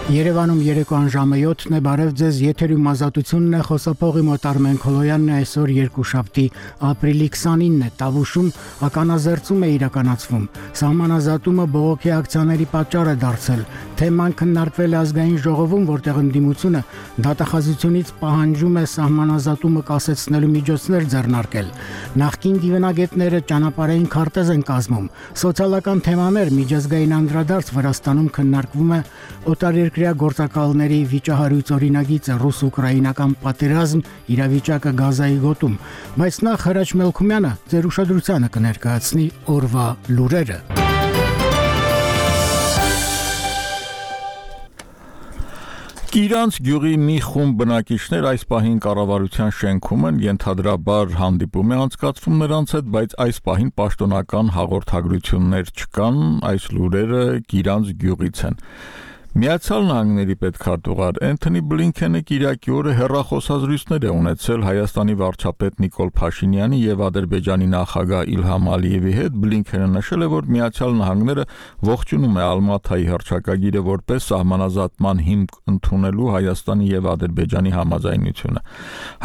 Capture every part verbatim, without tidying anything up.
Երևանում երեկոյան ժամը յոթն է, բարև ձեզ, եթերում ազատությունն է, խոսափողի մոտ Արմեն Քոլոյանն է, այսօր երկուշաբթի ապրիլի քսանինն է, Տավուշում ականազերծում է իրականացվում, սահմանազատումը բողոքի ակցիաների պատճառ է դարձել, թեման քննարկվել է ազգային ժողովում, որտեղ ընդդիմությունը դատախազությունից պահանջում է սահմանազատումը կասեցնելու միջոցներ ձեռնարկել, նախկին դիվանագետները ճանապարհային քարտեզ են կազմում, սոցիալական թեմաներ, միջազգային անդրադարձ Վրաստանում քննարկվում է օտարերկրյա գործակալների վիճահարույց օրինագիծը, ռուս-ուկրաինական պատերազմ, իրավիճակը Գազայի գոտում, բայց նախ Հրաչ Մելքումյանը ձեր ուշադրությանը կներկայացնի օրվա լուրերը։ Կիրանց գյուղի մի խումբ բնակիչներ այս պահին կառավարության շենքում են, ենթադրաբար հանդիպում է անցկացվում նրանց հետ, բայց այս պահին պաշտոնական հաղորդագրություններ չկան, այս լուրերը Կիրանց գյուղից են։ Միացյալ Նահանգների պետքարտուղար Էնթոնի Բլինքենը կիրակի օրը հեռախոսազրույցներ է ունեցել Հայաստանի վարչապետ Նիկոլ Փաշինյանի եւ Ադրբեջանի նախագահ Իլհամ Ալիևի հետ։ Բլինքենը նշել է, որ Միացյալ Նահանգները ողջունում է Ալմաթայի հռչակագիրը որպես սահմանազատման հիմք ընդունելու Հայաստանի եւ Ադրբեջանի համաձայնությունը։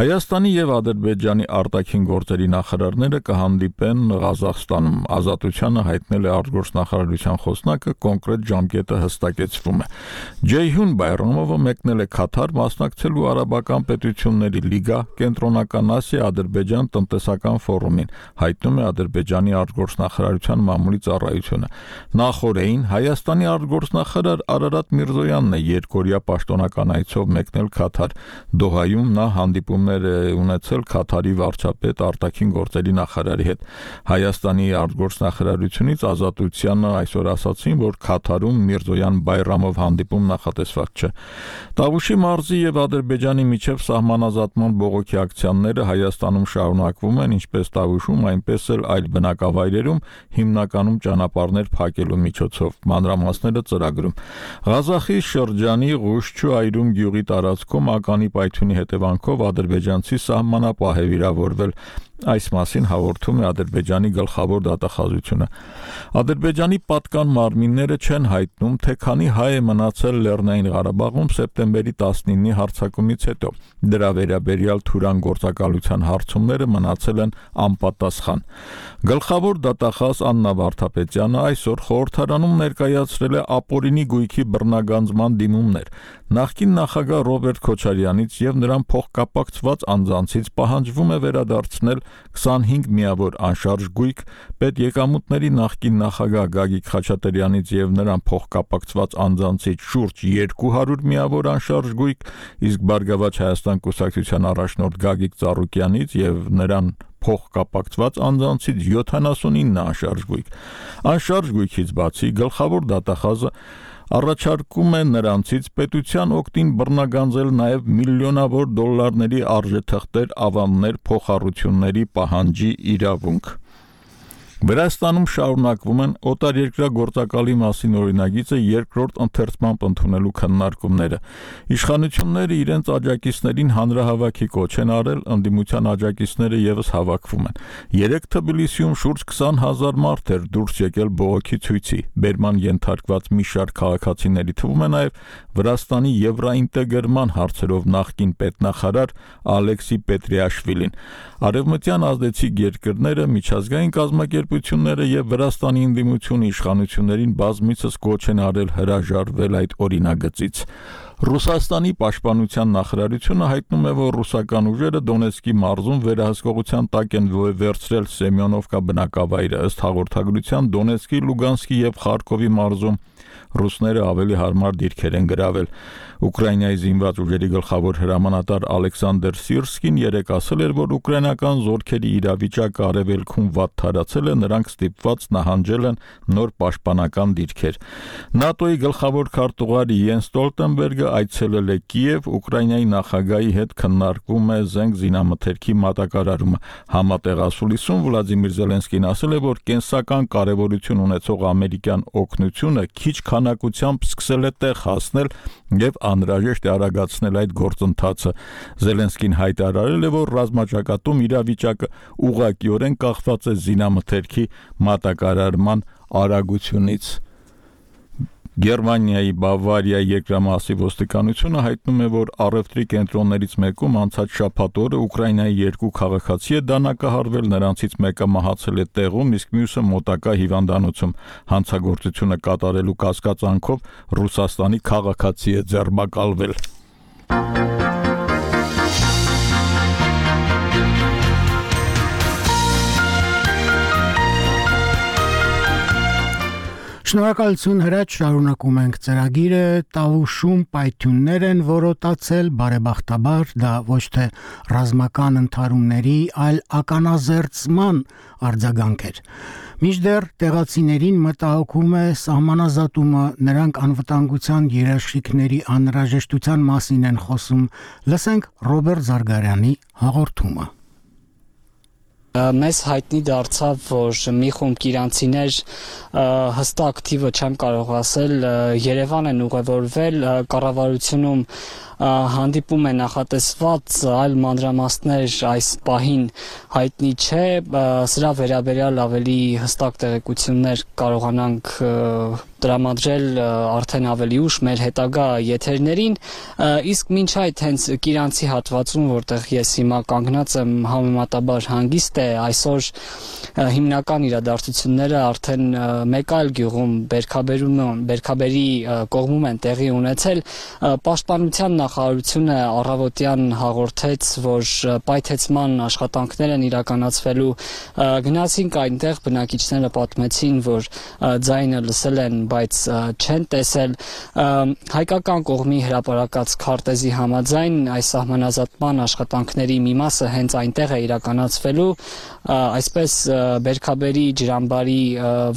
Հայաստանի եւ Ադրբեջանի արտաքին գործերի նախարարները կհանդիպեն Ղազախստանում։ Ազատությանը հայտնել է արտգործնախարարության խոսնակը, կոնկրետ ժամկետը հստակեցվում է։ Ջեյհուն Բայրամովը մեկնել է Քաթար մասնակցելու Արաբական պետությունների լիգա Կենտրոնական Ասիա Ադրբեջան տնտեսական ֆորումին, հայտնում է Ադրբեջանի արտգործնախարարության մամուլի ծառայությունը։ Նախորդին Հայաստանի արտգործնախարար Արարատ Միրզոյանն է երկօրյա պաշտոնական այցով մեկնել Քաթար։ Դոհայում նա հանդիպումներ է ունեցել Քաթարի վարչապետ արտաքին գործերի նախարարի հետ։ Հայաստանի արտգործնախարարությունից Ազատությանը այսօր ասացին, որ Քաթարում Միրզոյան Բայրամով հանդիպում նախատեսված չէ։ Տավուշի մարզի եւ Ադրբեջանի միջև սահմանազատման բողոքի ակցիաները Հայաստանում շարունակվում են, ինչպես Տավուշում, այնպես էլ այլ բնակավայրերում, հիմնականում ճանապարհներ փակելու միջոցով, մանրամասները ծրագրում։ Ղազախի շրջանի Ղուշչու այրում գյուղի տարածքում ականի պայթյունի հետևանքով ադրբեջանցի սահմանապահ է վիրավորվել։ Այս մասին հաղորդում է Ադրբեջանի գլխավոր դատախազությունը։ Ադրբեջանի պատկան մարմինները չեն հայտնում, թե քանի հայ է մնացել Լեռնային Ղարաբաղում սեպտեմբերի տասնինի հարձակումից հետո։ Դրա վերաբերյալ թուրան գործակալության հարցումները մնացել են անպատասխան։ Գլխավոր դատախազ Աննա Վարդապետյանը այսօր խորհրդարանում ներկայացրել է ապօրինի գույքի բռնագանձման դիմումներ։ Նախկին նախագահ Ռոբերտ Քոչարյանից եւ նրան փոխկապակցված անձանցից պահանջվում է վերադարձնել քսանհինգ միավոր անշարժ գույք, պետեկամուտների նախկին նախագահ Գագիկ Խաչատրյանից եւ նրան փոխկապակցված անձանցից շուրջ երկու հարյուր միավոր անշարժ գույք, իսկ Բարգավաճ Հայաստան կուսակցության առաջնորդ Գագիկ Ծառուկյանից եւ նրան փոխկապակցված անձանցից յոթանասունինը անշարժ գույք։ Անշարժ գույքից բացի գլխավոր դատախազը առաջարկում է նրանցից պետության օգտին բռնագանձել նաև միլիոնավոր դոլարների արժեթղթեր, ավաններ, փոխառությունների պահանջի իրավունք։ Վրաստանում շարունակվում են օտարերկրյա գործակալի մասին օրինագիծը երկրորդ ընթերցմամբ ընդունելու քննարկումները։ Իշխանությունները իրենց աջակիցներին հանրահավաքի կոչ են արել, ընդդիմության աջակիցները եւս հավաքվում են։ Երեք Թբիլիսիում շուրջ քսան հազար մարդ էր դուրս եկել բողոքի ցույցի։ Բերման ենթարկված մի շարք քաղաքացիների թվում է նաև Վրաստանի եվրոինտեգրման հարցերով նախկին պետնախարար Ալեքսի Պետրիաշվիլին։ Արևմտյան ազդեցիկ երկրները, միջազգային կազմակերպությունները եւ Վրաստանի ընդդիմությունը իշխանություններին բազմիցս կոչ են արել հրաժարվել այդ օրինագծից։ Ռուսաստանի պաշտպանության նախարարությունը հայտնում է, որ ռուսական ուժերը Դոնեցկի մարզում վերահսկողության տակ են վերցրել Սեմյոնովկա բնակավայրը։ Ըստ հաղորդագրության Դոնեցկի, Լուգանսկի եւ Խարկովի մարզում ռուսները ավելի հարմար դիրքեր են գրավել։ Ուկրաինայի զինված ուժերի գլխավոր հրամանատար Ալեքսանդր Սիրսկին երեկ ասել էր, որ ուկրաինական զորքերի իրավիճակը արևելքում վատ թարացել է, նրանք ստիպված նահանջել են նոր պաշտպանական դիրքեր։ ՆԱՏՕ-ի գլխավոր քարտուղար Յենս Ստոլտենբերգը այցելել է Կիև, Ուկրաինայի նախագահի հետ քննարկվում է զենք զինամթերքի մատակարարումը։ Համատեղ ասուլիսում Վլադիմիր Զելենսկին ասել է, որ կենսական կարևորություն ունեցող ամերիկյան օգնությունը քիչ քանակությամբ սկսել է տեղ հասնել եւ անհրաժեշտ է արագացնել այդ գործընթացը։ Զելենսկին հայտարարել է, որ ռազմաճակատում իրավիճակը ուղղակիորեն կախված է զինամթերքի մատակարարման արագությունից։ Գերմանիայի Բավարիայի երկրամասի ոստիկանությունը հայտնում է, որ առևտրի կենտրոններից մեկում անցած շաբաթ օրը Ուկրաինայի երկու քաղաքացի է դանակահարվել, նրանցից մեկը մահացել է տեղում, իսկ մյուսը մոտակա հիվանդանոցում։ Հանցագործությունը կատարելու կասկածանքով Ռուսաստանի քաղաքացի է ձերբակալվել։ Շնորհակալություն հրաչ, շարունակում ենք ծրագիրը, Տավուշում պայթյուններ են որոտացել, բարեբախտաբար դա ոչ թե ռազմական ընդհարումների, այլ ականազերծման արձագանք էր։ Մինչդեռ տեղացիներին մտահոգում է սահմանազատումը, նրանք անվտանգության երաշխիքների անհրաժեշտության մասին են խոսում։ Լսենք Ռոբերտ Զարգարյանի հաղորդումը։ Մեզ հայտնի դարձավ, որ մի խումբ իրանցիներ հստակ թիվը չեմ կարող ասել, Երևան են ուղևորվել, կառավարությունում հանդիպում է նախատեսված, այլ մանրամասներ այս պահին հայտնի չէ, սրա վերաբերյալ ավելի հստակ տեղեկություններ կարողանանք տրամադրել արդեն ավելի ուշ մեր հետագա եթերներին, իսկ մինչ այդ հենց Կիրանցի հատվածում, որտեղ ես հիմա կանգնած եմ, համեմատաբար հանգիստ է, այսօր հիմնական իրադարձությունները արդեն մեկ այլ գյուղում Բերքաբերի կողմում են տեղի ունեցել, Պաշտպանության նախարարությունը առավոտյան հաղորդեց, որ պայթեցման աշխատանքներ են իրականացվելու, գնացինք այնտեղ, բնակիչները պատմեցին, որ ձայնը լսել են, բայց չեն տեսել, հայկական կողմի հրապարակած քարտեզի համաձայն այս սահմանազատման աշխատանքների մի մասը հենց այնտեղ է իրականացվելու, այսպես Բերքաբերի ջրամբարի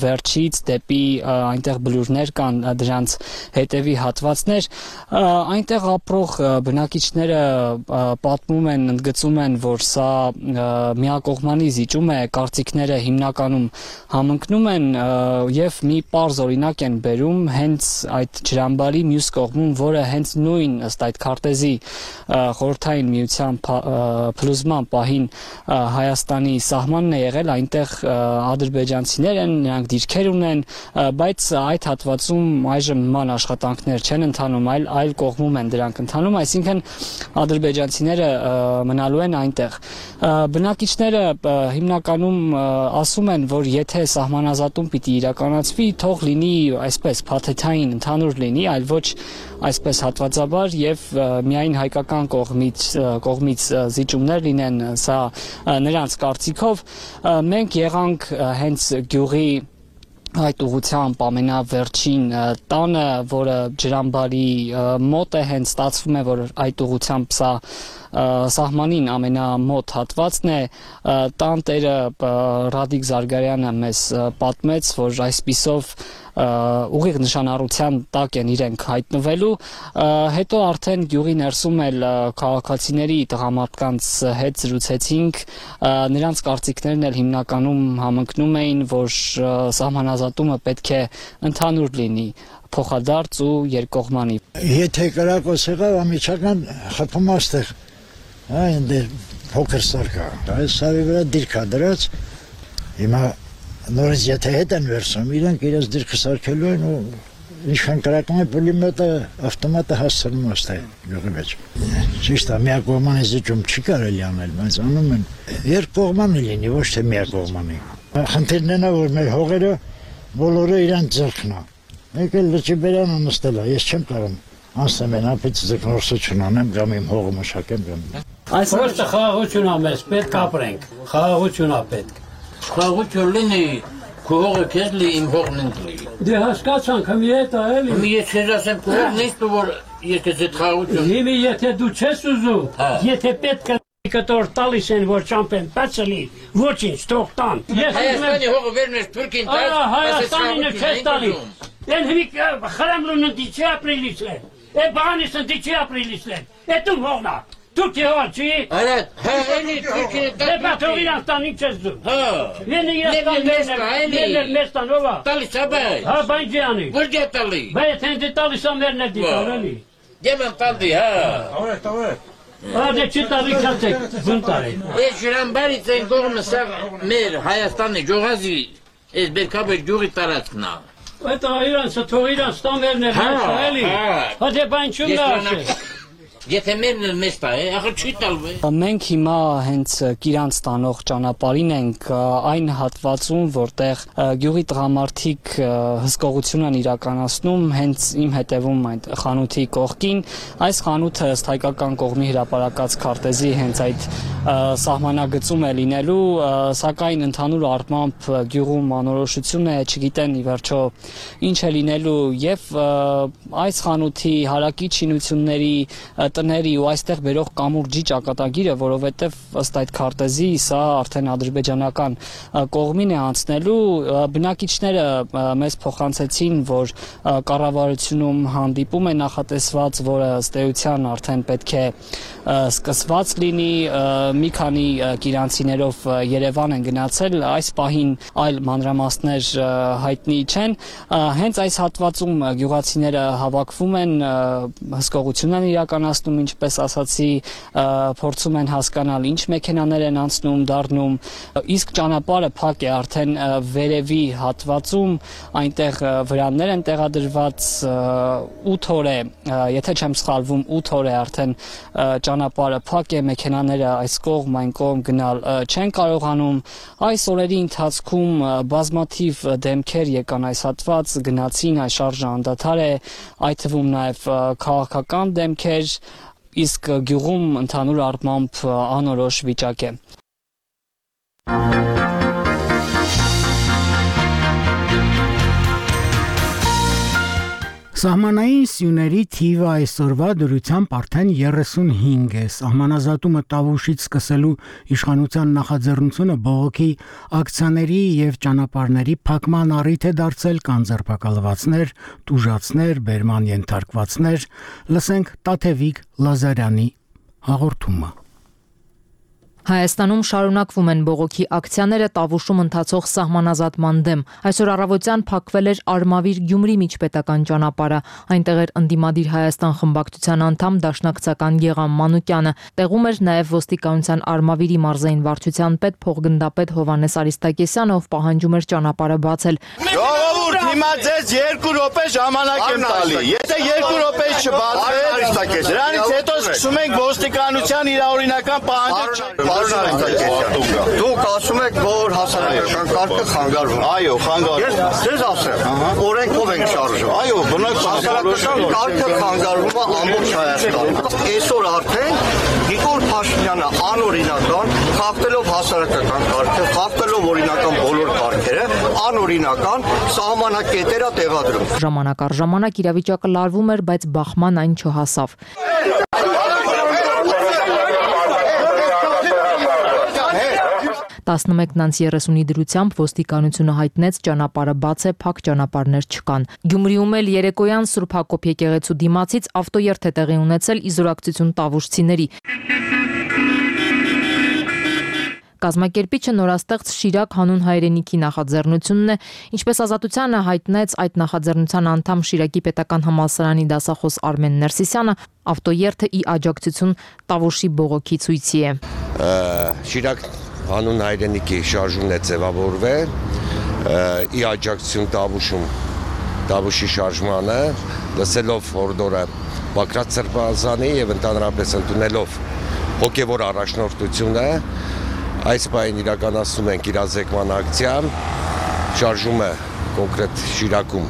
վերջից դեպի այնտեղ բլուրներ կան, դրանց հետևի հատվածներ, այնտեղ ապրող բնակիչները պատմում են, ընդգծում են, որ սա միակողմանի զիջում է, կարծիքները հիմնականում համընկնում են եւ մի պարզ օրինակ են բերում հենց այդ ջրամբարի մյուս կողմում, որը հենց նույն ըստ այդ քարտեզի խորհրդային միության փլուզման պահին Հայաստանի սահմանն է եղել, այնտեղ ադրբեջանցիներ են, նրանք դիրքեր ունեն, բայց այդ հատվածում այժմ նման աշխատանքներ չեն ընթանում, այլ այլ կողմում են դրանք ընթանում, այսինքն ադրբեջանցիները մնալու են այնտեղ։ Բնակիչները հիմնականում ասում են, որ եթե սահմանազատում պիտի իրականացվի, թող լինի այսպես փաթեթային ընդհանուր լինի, այլ ոչ այսպես հատվածաբար եւ միայն հայկական կողմից կողմից զիջումներ լինեն, սա նրանց կարծիքով։ Մենք եղանք հենց գյուղի այդ ուղղությամբ ամենավերջին տանը, որը ջրամբարի մոտ է, հենց ստացվում է, որ այդ ուղղությամբ սա սահմանին ամենամոտ հատվածն է, տան տերը Ռադիկ Զարգարյանը մեզ պատմեց, որ այսպիսով ուղիղ նշանառության տակ են իրենք հայտնվելու, հետո արդեն գյուղի ներսում էլ քաղաքացիների տղամարդկանց հետ զրուցեցինք, նրանց կարծիքներն էլ հիմնականում համընկնում էին, որ սահմանազատումը պետք է ընդհանուր լինի, փոխադարձ ու երկկողմանի։ Եթե կրակոց եղավ, ամիջական խփում աստեղ, այնտեղ փոքր սար կա, այս սարի վրա դիրք է դրած, հիմա նորից եթե հետ են վերցնում, իրենք իրենց դիրքը սարքելու են ու ինչքան կրակում է պուլեմետը, ավտոմատը հասցնում աստեղ գյուղի մեջ։ Ճիշտ է, միակողմանի զիջում չի կարելի անել, բայց անում են երկկողմանի լինի, ոչ թե միակողմանի։ Խնդիրն է նա, որ մեր հողերը բոլորը իրանց ձեռքն է։ Մեկ էլ լճի բերանը նստել է, ես չեմ կարող անցնեմ են ապից ձգնորսություն անեմ, կամ իմ հողը մշակեմ կամ։ Այս ոստը խաղաղություն է մեզ, պետք ապրենք, խաղաղություն է պետք։ Խաղաղություն լինի, քո հողը քեզ լի, իմ հողն ինձ լի։ Դե հասկացանք, հմի հետ է էլի։ Հմի ես քեզ ասեմ, քո հողն ինձ դու որ ես քեզ այդ խաղաղություն։ Հիմի եթե դու չես ուզում, եթե պետք է կտոր տալիս են, որ չամպեն պացելի, ոչինչ, թող տան։ Հայաստանի հողը վերնես Թուրքին տաս, Հայաստանին չես տալի։ Են հմի խրամլուն ընդիչի ապրիլից է, է բանիս ընդիչի ապրիլից է, է տում հողնա, Թուրքի հողը չի։ Արատ, հա, էլի Թուրքին տաս։ Դե պատող Իրանստանին չես դու։ Հա։ Ենը Իրանստան մերն ով է։ Տալիս է բայ։ Հա, բայ ջանի։ Որ դե տալի։ Բայց հենց տալիս է մերն է դիտալ էլի։ Դեմն տալի, հա։ Ավետ, ավետ։ Ադե չի տալի չացեք, զունտարի։ Ես ջրամբարից են կողմը սա մեր Հայաստանի ջողազի, ես Բերքաբեր գյուղի տարածքն է։ Это իրանցը թող իրանց տան վերներ հաշա, էլի։ Հա դե բան չունի ասել։ Եթե մերն էլ մեզ տա, ախր չի տալու է։ Մենք հիմա հենց Կիրանց տանող ճանապարհին ենք այն հատվածում, որտեղ գյուղի տղամարդիկ հսկողություն են իրականացնում հենց իմ հետևում այդ խանութի կողքին։ Այս խանութը ըստ հայկական կողմի հրապարակած քարտեզի հենց այդ սահմանագծում է լինելու, սակայն ընդհանուր առմամբ գյուղում անորոշություն է, չգիտեն ի վերջո ինչ է լինելու եւ այս խանութի հարակի շինությունների տների ու այստեղ բերող կամուրջի ճակատագիրը, որովհետև ըստ այդ քարտեզի սա արդեն ադրբեջանական կողմին է անցնելու, բնակիչները մեզ փոխանցեցին, որ կառավարությունում հանդիպում է նախատեսված, որը ըստ էության արդեն պետք է սկսված լինի, մի քանի կիրանցիներով Երևան են գնացել, այս պահին այլ մանրամասներ հայտնի չեն, հենց այս հատվածում գյուղացիները հավաքվում են, հսկողություն են իրականացնում, ինչպես ասացի, փորձում են հասկանալ ինչ մեքենաներ են անցնում, դառնում, իսկ ճանապարհը փակ է արդեն վերևի հատվածում, այնտեղ վրաններ են տեղադրված, ութ օր է, եթե չեմ սխալվում, ութ օր է արդեն ճանապարհը փակ է, մեքենաները այս կողմ այն կողմ գնալ չեն կարողանում։ Այս օրերի ընթացքում բազմաթիվ դեմքեր եկան այս հատված, գնացին, այս շարժը անդադար է, այդ թվում նաև քաղաքական դեմքեր, իսկ գյուղում ընդհանուր առմամբ անորոշ վիճակ է։ Սահմանային սյուների թիվը այսօրվա դրությամբ արդեն երեսունհինգ է։ Սահմանազատումը Տավուշից սկսելու իշխանության նախաձեռնությունը բողոքի ակցիաների եւ ճանապարհների փակման առիթ է դարձել, կան ձերբակալվածներ, տուժածներ, բերման ենթարկվածներ։ Լսենք Տաթևիկ Լազարյանի հաղորդումը։ Հայաստանում շարունակվում են բողոքի ակցիաները Տավուշում ընթացող սահմանազատման դեմ։ Այսօր առավոտյան փակվել էր Արմավիր Գյումրի միջպետական ճանապարհը։ Այնտեղ էր ընդդիմադիր Հայաստան խմբակցության անդամ դաշնակցական Գեգամ Մանուկյանը։ Տեղում էր նաև ոստիկանության Արմավիրի մարզային վարչության պետ փոխգնդապետ Հովհաննես Արիստակեսյանը, ով պահանջում էր ճանապարհը բացել։ Ժողովուրդ, հիմա ձեզ երկու րոպե ժամանակ եմ տալի։ Եթե երկու րոպե չբացվի, դրանից հետո սկսում ենք ոստիկանության իրավօրինական պահանջը։ Դուք ասում եք, որ հասարակական կարգը խանգարվում։ Այո, խանգարվում։ Ես ձեզ ասեմ, օրենքով ենք շարժում։ Այո, բնակ հասարակական կարգը խանգարվում է ամբողջ Հայաստանում։ Այսօր արդեն Նիկոլ Փաշինյանը անօրինական, խախտելով հասարակական կարգը, խախտելով օրինական բոլոր կարգերը, անօրինական սահմանակետեր է տեղադրում։ Ժամանակ առ ժամանակ իրավիճակը լարվում էր, բայց բախման այն չհասավ։ տասնմեկն անց երեսունի դրությամբ ոստիկանությունը հայտնեց ճանապարհը բաց է, փակ ճանապարհներ չկան։ Գյումրիում էլ երեկոյան Սուրբ Հակոբ եկեղեցու դիմացից ավտոերթ է տեղի ունեցել իզորակցություն տավուշցիների։ Կազմակերպիչը նորաստեղծ Շիրակ հանուն հայրենիքի նախաձեռնությունն է, ինչպես Ազատությանը հայտնեց այդ նախաձեռնության անդամ Շիրակի պետական համալսարանի դասախոս Արմեն Ներսիսյանը, ավտոերթը ի աջակցություն Տավուշի բողոքի ցույցի է։ Շիրակ հանուն հայրենիքի շարժումն է ձևավորվել, ի աջակցություն Տավուշում, Տավուշի շարժմանը, լսելով հորդորը Բակրատ Սրբազանի եւ ընդհանրապես ընդունելով հոգեվոր առաջնորդությունը, այս պահին իրականացնում ենք իրազեկման ակցիան, շարժումը կոնկրետ Շիրակում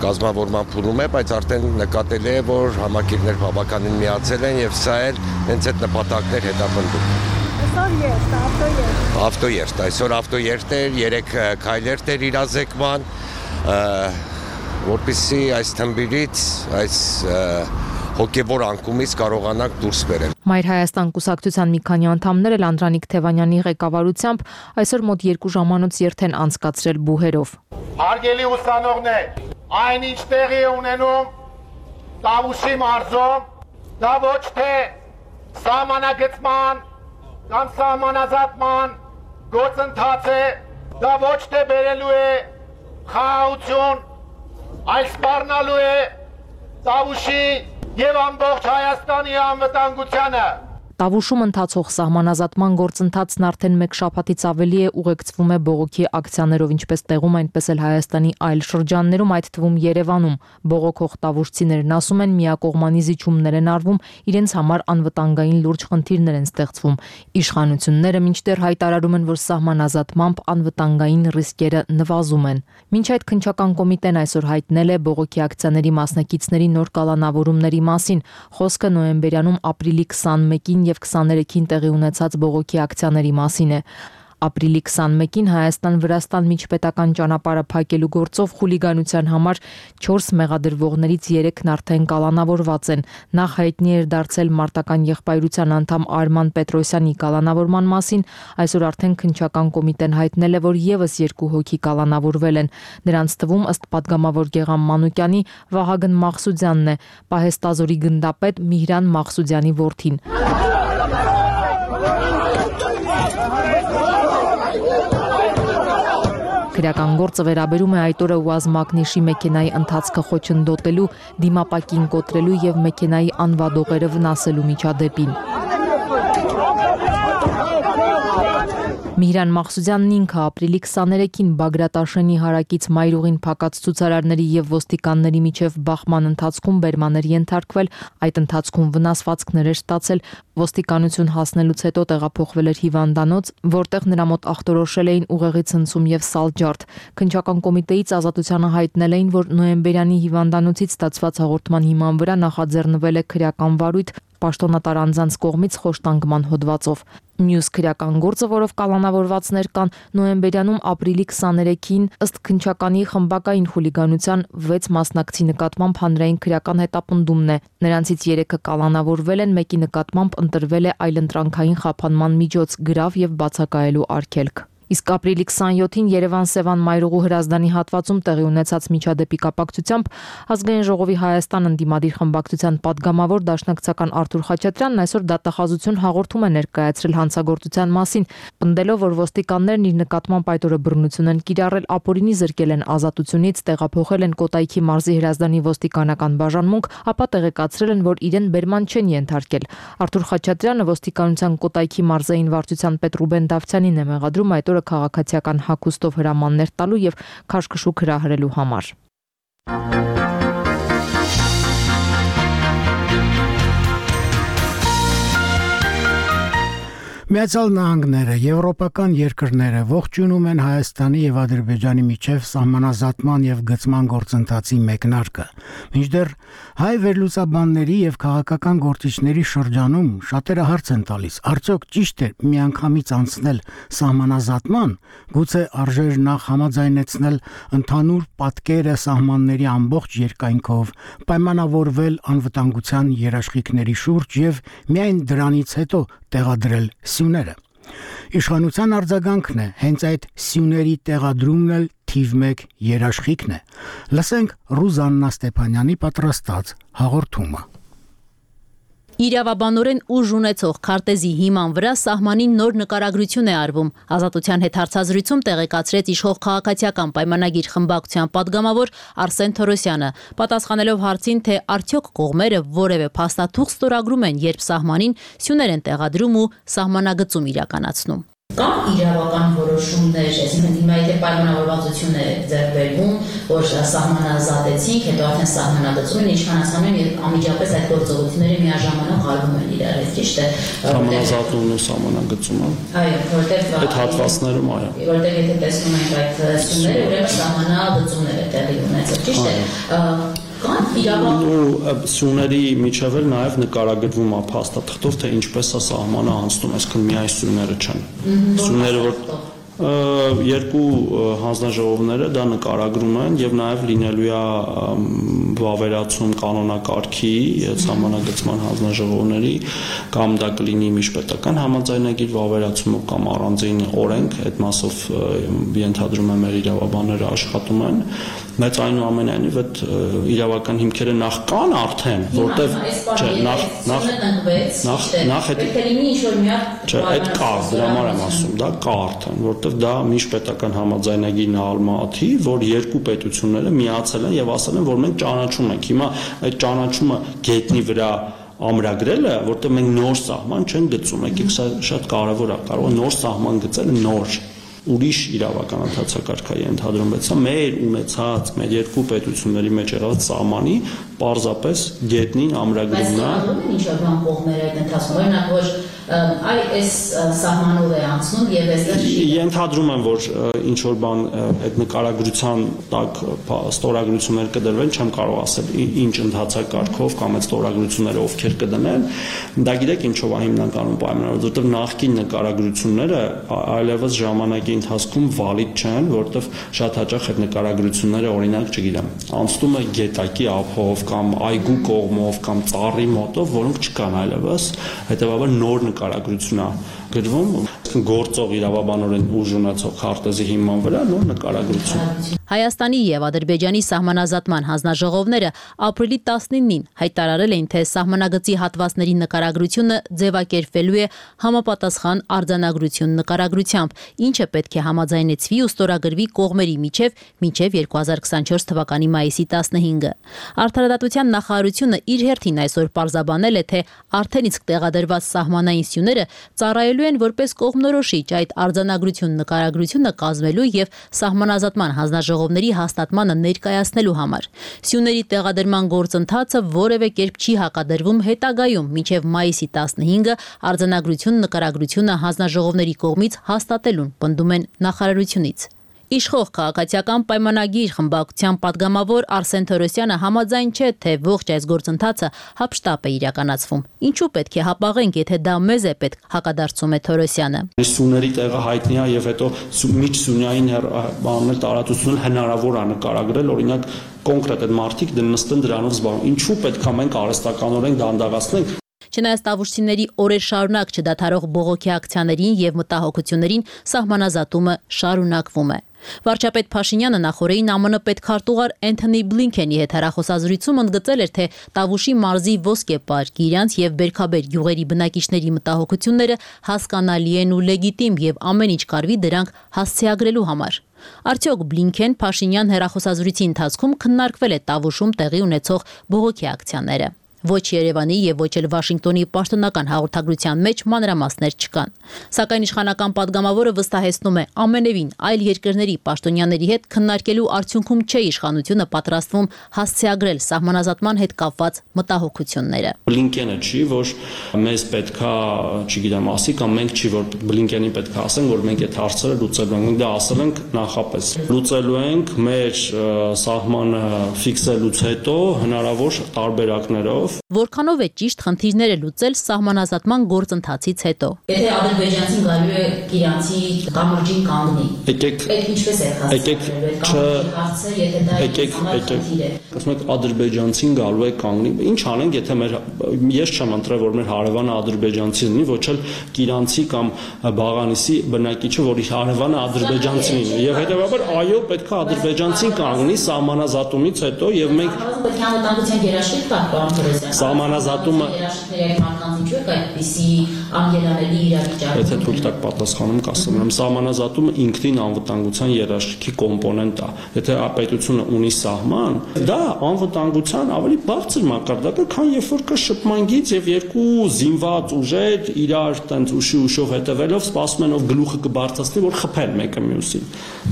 կազմավորման փուլում է, բայց արդեն նկատելի է, որ համակիրներ բավականին միացել են եւ սա էլ հենց այդ նպատակներ հետապնդում։ Այսօր երթ, ավտոերթ։ Ավտոերթ, այսօր ավտոերթ էր, երեք քայլերթ էր իրազեկման, որպեսզի այս թմբիրից, այս հոգևոր անկումից կարողանանք դուրս բերել։ Մայր Հայաստան կուսակցության մի քանի անդամներ էլ Անդրանիկ Թևանյանի ղեկավարությամբ այսօր մոտ երկու ժամանոց երթ են անցկացրել բուհերով։ Հարգելի ուսանողներ, այնինչ տեղի է ունենում Տավուշի մարզում, դա ոչ թե սահմանագծման կամ սահմանազատման գործընթաց է, դա ոչ թե բերելու է խաղաղություն, այլ սպառնալու է Տավուշի եւ ամբողջ Հայաստանի անվտանգությանը։ Տավուշում ընթացող սահմանազատման գործընթացն արդեն մեկ շաբաթից ավելի է ուղեկցվում է բողոքի ակցիաներով, ինչպես տեղում, այնպես էլ Հայաստանի այլ շրջաններում, այդ թվում Երևանում։ Բողոքող տավուշցիներն ասում են, միակողմանի զիջումներ են արվում, իրենց համար անվտանգային լուրջ խնդիրներ են ստեղծվում։ Իշխանությունները մինչդեռ հայտարարում են, որ սահմանազատմամբ անվտանգային ռիսկերը նվազում են։ Մինչ այդ քննչական կոմիտեն այսօր հայտնել է բողոքի ակցիաների մասնակիցների նոր կալանավորումների մասին։ Խոսքը նոյեմբերյանում ապրիլի քսանմեկին եւ քսաներեքին տեղի ունեցած բողոքի ակցիաների մասին է։ Ապրիլի քսանմեկին Հայաստան-Վրաստան միջպետական ճանապարհը փակելու գործով խուլիգանության համար չորս մեղադրվողներից երեքն արդեն կալանավորված են։ Նախ հայտնի էր դարձել մարտական եղբայրության անդամ Արման Պետրոսյանի կալանավորման մասին, այսօր արդեն քննչական կոմիտեն հայտնել է, որ եւս երկու հոգի կալանավորվել են։ Նրանց թվում, ըստ падգամավոր Գեգամ Մանուկյանի, Վահագն Մաղսուդյանն է, Պահեստազորի գնդապետ Միհրան Մաղսուդյանի որդին։ Քրեական գործը վերաբերում է այդ օրը Ուազ Մակնիշի մեքենայի ընթացքը խոչընդոտելու, դիմապակին կոտրելու եւ մեքենայի անվադողերը վնասելու միջադեպին։ Միհրան Մաղսուդյանն ինքը ապրիլի քսաներեքին Բագրատաշենի հարակից մայրուղին փակած ցուցարարների եւ ոստիկանների միջև բախման ընթացքում բերման էր ենթարկվել, այդ ընթացքում վնասվածքներ էր ստացել, ոստիկանություն հասնելուց հետո տեղափոխվել էր հիվանդանոց, որտեղ նրա մոտ ախտորոշել էին ուղեղի ցնցում եւ սալջարդ։ Քննչական կոմիտեից ազատությանը հայտնել էին, որ նոյեմբերյանի հիվանդանոցից ստացված հաղորդման հիման վրա նախաձեռնվել է քրեական վարույթ պաշտոնատար անձանց կողմից խոշտանգման հոդվածով։ Մյուս քրեական գործը, որով կալանավորվածներ կան, նոյեմբերյանում ապրիլի քսաներեքին ըստ քննչականի խմբակային խուլիգանության վեց մասնակցի նկատմամբ հանրային քրեական հետապնդումն է։ Նրանցից երեքը կալանավորվել են, մեկի նկատմամբ ընտրվել է այլընտրանքային խափանման միջոց, գրավ եւ բացակայելու արգելք։ Իսկ ապրիլի քսանյոթին Երևան-Սևան մայրուղու հրազդանի հատվածում տեղի ունեցած միջադեպի կապակցությամբ Ազգային ժողովի Հայաստան ընդդիմադիր խմբակցության падգամավոր դաշնակցական Արթուր Խաչատրյանն այսօր դատախազություն հաղորդում է ներկայացրել հանցագործության մասին, պնդելով, որ ոստիկաններն իր նկատմամբ այդ օրը բռնություն են կիրառել, ապօրինի զրկել են ազատությունից, տեղափոխել են Կոտայքի մարզի հրազդանի ոստիկանական բաժանմունք, ապա տեղեկացրել են, որ իրեն բերման չեն ենթարկել։ Արթուր Խաչատրյանը ոստիկանության Կոտայքի մարզային վարչության պետ Ռուբեն Դավթյանին է մեղադրում այդ քաղաքացիական հագուստով հրամաններ տալու եւ քաշքշուկ հրահրելու համար։ Միացյալ Նահանգները, եվրոպական երկրները ողջունում են Հայաստանի եւ Ադրբեջանի միջև սահմանազատման եւ գծման գործընթացի մեկնարկը։ Մինչդեռ հայ վերլուծաբանների եւ քաղաքական գործիչների շրջանում շատերը հարց են տալիս. արդյոք ճիշտ է միանգամից անցնել սահմանազատման, գուցե արժեր նախ համաձայնեցնել ընդհանուր պատկերը սահմանների ամբողջ երկայնքով, պայմանավորվել անվտանգության երաշխիքների շուրջ եւ միայն դրանից հետո տեղադրել սյուները։ Իշխանության արձագանքն է հենց այդ սյուների տեղադրումն էլ թիվ մեկ երաշխիքն է։ Լսենք Ռուզաննա Ստեփանյանի պատրաստած հաղորդումը։ Իրավաբանորեն ուժ ունեցող քարտեզի հիման վրա սահմանին նոր նկարագրություն է արվում։ Ազատության հետ հարցազրույցում տեղեկացրեց իշխող քաղաքացիական պայմանագիր խմբակցության падգամավոր Արսեն Թորոսյանը, պատասխանելով հարցին, թե արդյոք կողմերը որևէ փաստաթուղթ ստորագրում են, երբ սահմանին սյուներ են տեղադրում ու սահմանագծում իրականացնում։ Կամ իրավական որոշումներ, այսինքն հիմա եթե պայմանավորվածություն է ձեռք բերվում, որ սահմանազատեցինք, հետո արդեն սահմանագծում են, իշխանացնում են եւ անմիջապես այդ գործողությունները միաժամանակ արվում են իրար, այդ ճիշտ է։ Սահմանազատումն ու սահմանագծումը։ Այո, որտեղ այդ հատվածներում այո։ Որտեղ եթե տեսնում ենք այդ սյուները, ուրեմն սահմանագծումներ է տեղի ունեցել, ճիշտ է։ ու սյուների միջև էլ նաև նկարագրվում է փաստաթղթով, թե ինչպես է սահմանը անցնում, այսինքն միայն սյուները չեն։ Սյուները որ երկու հանձնաժողովները դա նկարագրում են եւ նաեւ լինելու է վավերացում կանոնակարգի սահմանագծման հանձնաժողովների կամ դա կլինի միջպետական համաձայնագիր վավերացումով կամ առանձին օրենք, այդ մասով ենթադրում եմ մեր իրավաբանները աշխատում են, բայց այնուամենայնիվ այդ իրավական հիմքերը նախ կան արդեն, որտեվ չէ, նախ նախ նախ նախ այդ չէ, այդ կա, դրա համար եմ ասում, դա կա արդեն, որտեվ դա միջպետական համաձայնագիրն ալմատի, որ երկու պետությունները միացել են եւ ասել են, որ մենք ճանաչում ենք։ Հիմա այդ ճանաչումը գետնի վրա ամրագրելը, որտեղ մենք նոր սահման չեն գծում, եկեք սա շատ կարևոր է, կարող է նոր սահման գծելը նոր ուրիշ իրավական ընթացակարգ է ընդհանրում, բայց սա մեր ունեցած մեր երկու պետությունների մեջ եղած սահմանի պարզապես գետնին ամրագրումն է։ Բայց ինչ որ բան կողմերը այդ ընթացքում, օրինակ որ այ այս սահմանով է անցնում եւ այստեղ ենթադրում եմ, որ ինչ որ բան այդ նկարագրության տակ ստորագրություններ կդրվեն, չեմ կարող ասել ինչ ընթացակարգով կամ այդ ստորագրությունները ովքեր կդնեն, դա գիտեք ինչով է հիմնականում պայմանավորված, որովհետեւ նախկին նկարագրությունները այլևս ժամանակի ընթացքում վալիդ չեն, որովհետեւ շատ հաճախ այդ նկարագրությունները օրինակ, չգիտեմ, անցնում է գետակի ափով կամ այգու կողմով կամ ծառի մոտով, որոնք չկան այլևս, հետեւաբար նոր նկարագրություն է գրվում գործող իրավաբանորեն ուժ ունեցող քարտեզի հիման վրա նոր նկարագրություն։ Հայաստանի եւ Ադրբեջանի սահմանազատման հանձնաժողովները ապրիլի տասնինին հայտարարել էին, թե սահմանագծի հատվածների նկարագրությունը ձևակերպվելու է համապատասխան արձանագրություն նկարագրությամբ, ինչը պետք է համաձայնեցվի ու ստորագրվի կողմերի միջև մինչև երկու հազար քսանչորս թվականի մայիսի տասնհինգը։ Արդարադատության նախարարությունը իր հերթին այսօր պարզաբանել է, թե արդեն իսկ տեղադրված սահմանային սյուները ծառայելու են որպես կողմնորոշիչ այդ արձանագրություն նկարագրությունը կազմելու եւ սահմանազատման հանձնաժողովների հաստատմանը ներկայացնելու համար։ Սյուների տեղադրման գործընթացը որևէ կերպ չի հակադրվում հետագայում մինչև մայիսի տասնհինգը արձանագրություն նկարագրությունը հանձնաժողովների կողմից հաստատելուն, պնդում են նախարարությունից։ Իշխող քաղաքացիական պայմանագիր խմբակցության падգամավոր Արսեն Թորոսյանը համաձայն չէ, թե ողջ այս գործընթացը հապշտապ է իրականացվում։ Ինչու պետք է հապաղենք, եթե դա մեզ է պետք, հակադարձում է Թորոսյանը։ Սյուների տեղը հայտնի է եւ հետո միջսյունային բաններ տարածությունն հնարավոր է նկարագրել, օրինակ կոնկրետ այդ մարդիկ նստեն դրանով զբաղվում։ Ինչու պետք է մենք արհեստականորեն դանդաղացնենք։ Չնայած տավուշցիների օրեր շարունակ չդադարող բողոքի ակցիաներին եւ մտահոգություններին սահմանազատումը շարունակվում է։ Վարչապետ Փաշինյանը նախորդին ԱՄՆ պետքարտուղար Էնթոնի Բլինքենի հետ հեռախոսազրույցում ընդգծել էր, թե Տավուշի մարզի ոսկեպարկ, Իրանց եւ Բերքաբեր գյուղերի բնակիչների մտահոգությունները հասկանալի են ու լեգիտիմ եւ ամեն ինչ կարվի դրանք հասցեագրելու համար։ Արդյոք Բլինքեն Փաշինյան հեռախոսազրույցի ընթացքում քննարկվել է Տավուշում տեղի ունեցող բողոքի ակցիաները։ Ոչ Երևանի եւ ոչ էլ Վաշինգտոնի պաշտոնական հաղորդագրության մեջ մանրամասներ չկան։ Սակայն իշխանական падգամավորը վստահեցնում է, ամենևին այլ երկրների պաշտոնյաների հետ քննարկելու արդյունքում չէ իշխանությունը պատրաստվում հասցեագրել սահմանազատման հետ կապված մտահոգությունները։ Բլինկենը չի, որ մեզ պետքա, չգիտեմ, ասի կամ մենք չի, որ Բլինկենին պետքա ասենք, որ մենք այդ հարցերը լուծելու ենք, դա ասել ենք նախապես։ Լուծելու ենք մեր սահմանը ֆիքսելուց հետո հնարավոր տարբերակներով։ Որքանով է ճիշտ խնդիրները լուծել սահմանազատման գործընթացից հետո։ Եթե ադրբեջանցին գալու է Իրանցի կամրջին կանգնի։ Եկեք, այդ ինչպես է հասցրել, եթե դա եկեք, եկեք։ Ասում եք ադրբեջանցին գալու է կանգնի։ Ինչ անենք, եթե մեր ես չեմ ընտրել, որ մեր հարևանը ադրբեջանցի լինի, ոչ էլ Իրանցի կամ Բաղանիսի բնակիչը, որի հարևանը ադրբեջանցին լինի։ Եվ հետեւաբար այո, պետք է ադրբեջանցին կանգնի սահմանազատումից հետո եւ մենք պետք է անվտանգության երաշխիք տալ, պարոն Թորոսյան։ Սահմանազատումը Եթե թույլ տակ պատասխանում կասեմ, եմ սահմանազատումը ինքնին անվտանգության երաշխիքի կոմպոնենտ է։ Եթե պետությունը ունի սահման, դա անվտանգության ավելի բարձր մակարդակ է, քան երբ որ կա շփման գիծ եւ երկու զինված ուժեր իրար տենց ուշի ուշով հետևելով սպասում են ով գլուխը կբարձրացնի, որ խփեն մեկը մյուսին։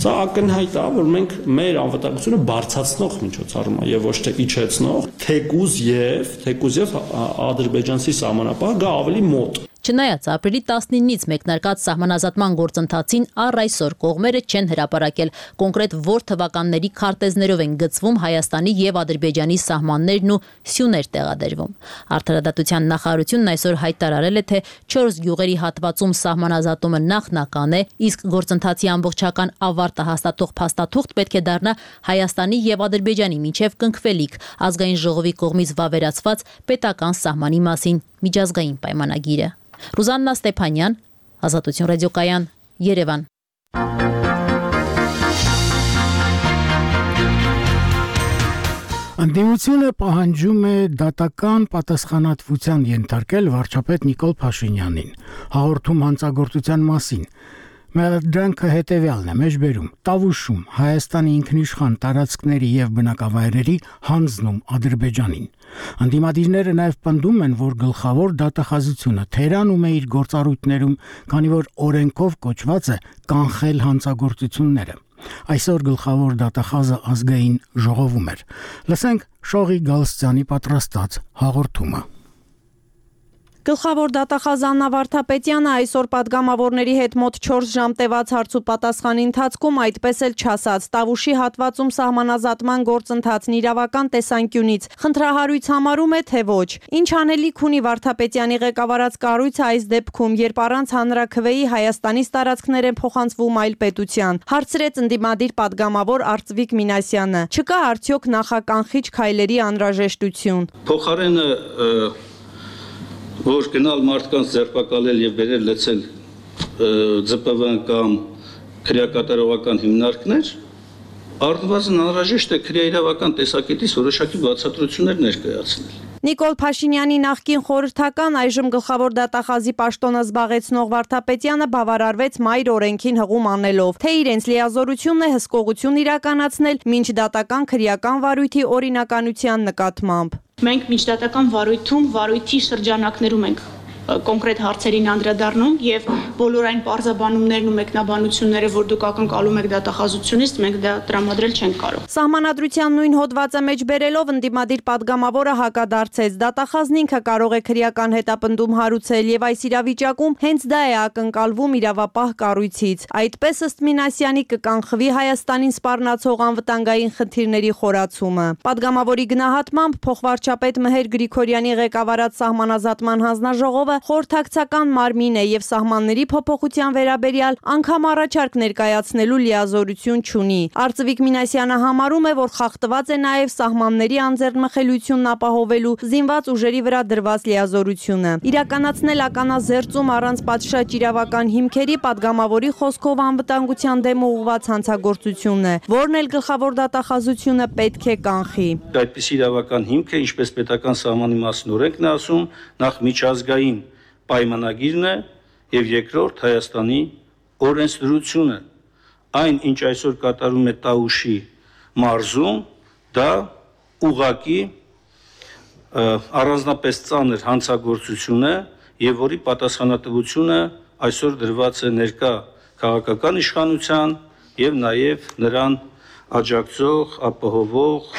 Սա ակնհայտ է, որ մենք մեր անվտանգությունը բարձրացնող միջոցառում է եւ ոչ թե իջեցնող, թեկուզ եւ թեկուզ եւ ադրբեջանցի սահմանապահը գա ավելի մոտ։ Չնայած ապրիլի տասնինից մեկնարկած սահմանազատման գործընթացին առ այսօր կողմերը չեն հրապարակել կոնկրետ որ թվականների քարտեզներով են գծվում Հայաստանի եւ Ադրբեջանի սահմաններն ու սյուներ տեղադրվում։ Արդարադատության նախարարությունն այսօր հայտարարել է, թե չորս գյուղերի հատվածում սահմանազատումը նախնական է, իսկ գործընթացի ամբողջական ավարտը հաստատող փաստաթուղթ պետք է դառնա Հայաստանի եւ Ադրբեջանի միջև կնքվելիք ազգային ժողովի կողմից վավերացված պետական սահմանի մասին միջազգային պայմանագիրը։ Ռուզաննա Ստեփանյան, Ազատություն ռադիոկայան, Երևան։ Ընդդիմությունը պահանջում է դատական պատասխանատվության ենթարկել վարչապետ Նիկոլ Փաշինյանին, հաղորդում հանցագործության մասին։ Մեղադրանքը հետևյալն է՝ մեջբերում, Տավուշում Հայաստանի ինքնիշխան տարածքների եւ բնակավայրերի հանձնում Ադրբեջանին։ Անդիմադիրները նաեւ պնդում են, որ գլխավոր դատախազությունը թերանում է իր գործառույթներում, քանի որ օրենքով կոչված է կանխել հանցագործությունները։ Այսօր գլխավոր դատախազը ազգային ժողովում էր։ Լսենք Շողի Գալստյանի պատրաստած հաղորդումը։ Գլխավոր դատախազ Աննա Վարդապետյանը այսօր падգամավորների հետ մոտ չորս ժամ տևած հարց ու պատասխանի ընթացքում այդպես էլ չասաց Տավուշի հատվածում սահմանազատման գործընթացն իրավական տեսանկյունից խնդրահարույց համարում է, թե ոչ։ Ինչ անելիք ունի Վարդապետյանի ղեկավարած կառույցը այս դեպքում, երբ առանց հանրաքվեի Հայաստանից տարածքներ են փոխանցվում այլ պետության, հարցրեց ընդդիմադիր падգամավոր Արծվիկ Մինասյանը։ Չկա արդյոք նախականխիչ քայլերի անհրաժեշտություն։ Փոխարենը որ գնալ մարդկանց ձերբակալել եւ բերել լցել ձ պ вэ կամ քրեակատարողական հիմնարկներ, առնվազն անհրաժեշտ է քրեաիրավական տեսակետից որոշակի բացատրություններ ներկայացնել։ Նիկոլ Փաշինյանի նախկին խորհրդական, այժմ գլխավոր դատախազի պաշտոնը զբաղեցնող Վարդապետյանը բավարարվեց մայր օրենքին հղում անելով, թե իրենց լիազորությունն է հսկողություն իրականացնել մինչ դատական քրեական վարույթի օրինականության նկատմամբ։ Մենք միջդատական վարույթում, վարույթի շրջանակներում ենք կոնկրետ հարցերին անդրադառնում եւ բոլոր այն պարզաբանումներն ու մեկնաբանությունները, որ դուք ակնկալում եք դատախազությունից, մենք դա տրամադրել չենք կարող։ Սահմանադրության նույն հոդվածը մեջ բերելով ընդդիմադիր падգամավորը հակադարձեց, դատախազն ինքը կարող է քրեական հետապնդում հարուցել եւ այս իրավիճակում հենց դա է ակնկալվում իրավապահ կառույցից։ Այդպես ըստ Մինասյանի կկանխվի Հայաստանին սպառնացող անվտանգային խնդիրների խորացումը։ Падգամավորի գնահատմամբ փոխվարչապետ Մհեր Գրիգորյանի ղեկավարած սահմանազատման հանձնաժողովը խորհրդակցական մարմին է եւ սահմանների փոփոխության վերաբերյալ անգամ առաջարկ ներկայացնելու լիազորություն չունի։ Արծվիկ Մինասյանը համարում է, որ խախտված է նաեւ սահմանների անձեռնմխելիությունն ապահովելու զինված ուժերի վրա դրված լիազորությունը։ Իրականացնել ականազերծում առանց պատշաճ իրավական հիմքերի падգամավորի խոսքով անվտանգության դեմ ուղղված հանցագործությունն է, որն էլ գլխավոր դատախազությունը պետք է կանխի։ Այդպես իրավական հիմք է, ինչպես պետական սահմանի մասին օրենքն է ասում, նախ միջազգային պայմանագիրն է եւ երկրորդ Հայաստանի օրենսդրությունը։ Այն, ինչ այսօր կատարում է Տավուշի մարզում, դա ուղղակի առանձնապես ծանր հանցագործություն է եւ որի պատասխանատվությունը այսօր դրված է ներկա քաղաքական իշխանության եւ նաեւ նրան աջակցող, ապահովող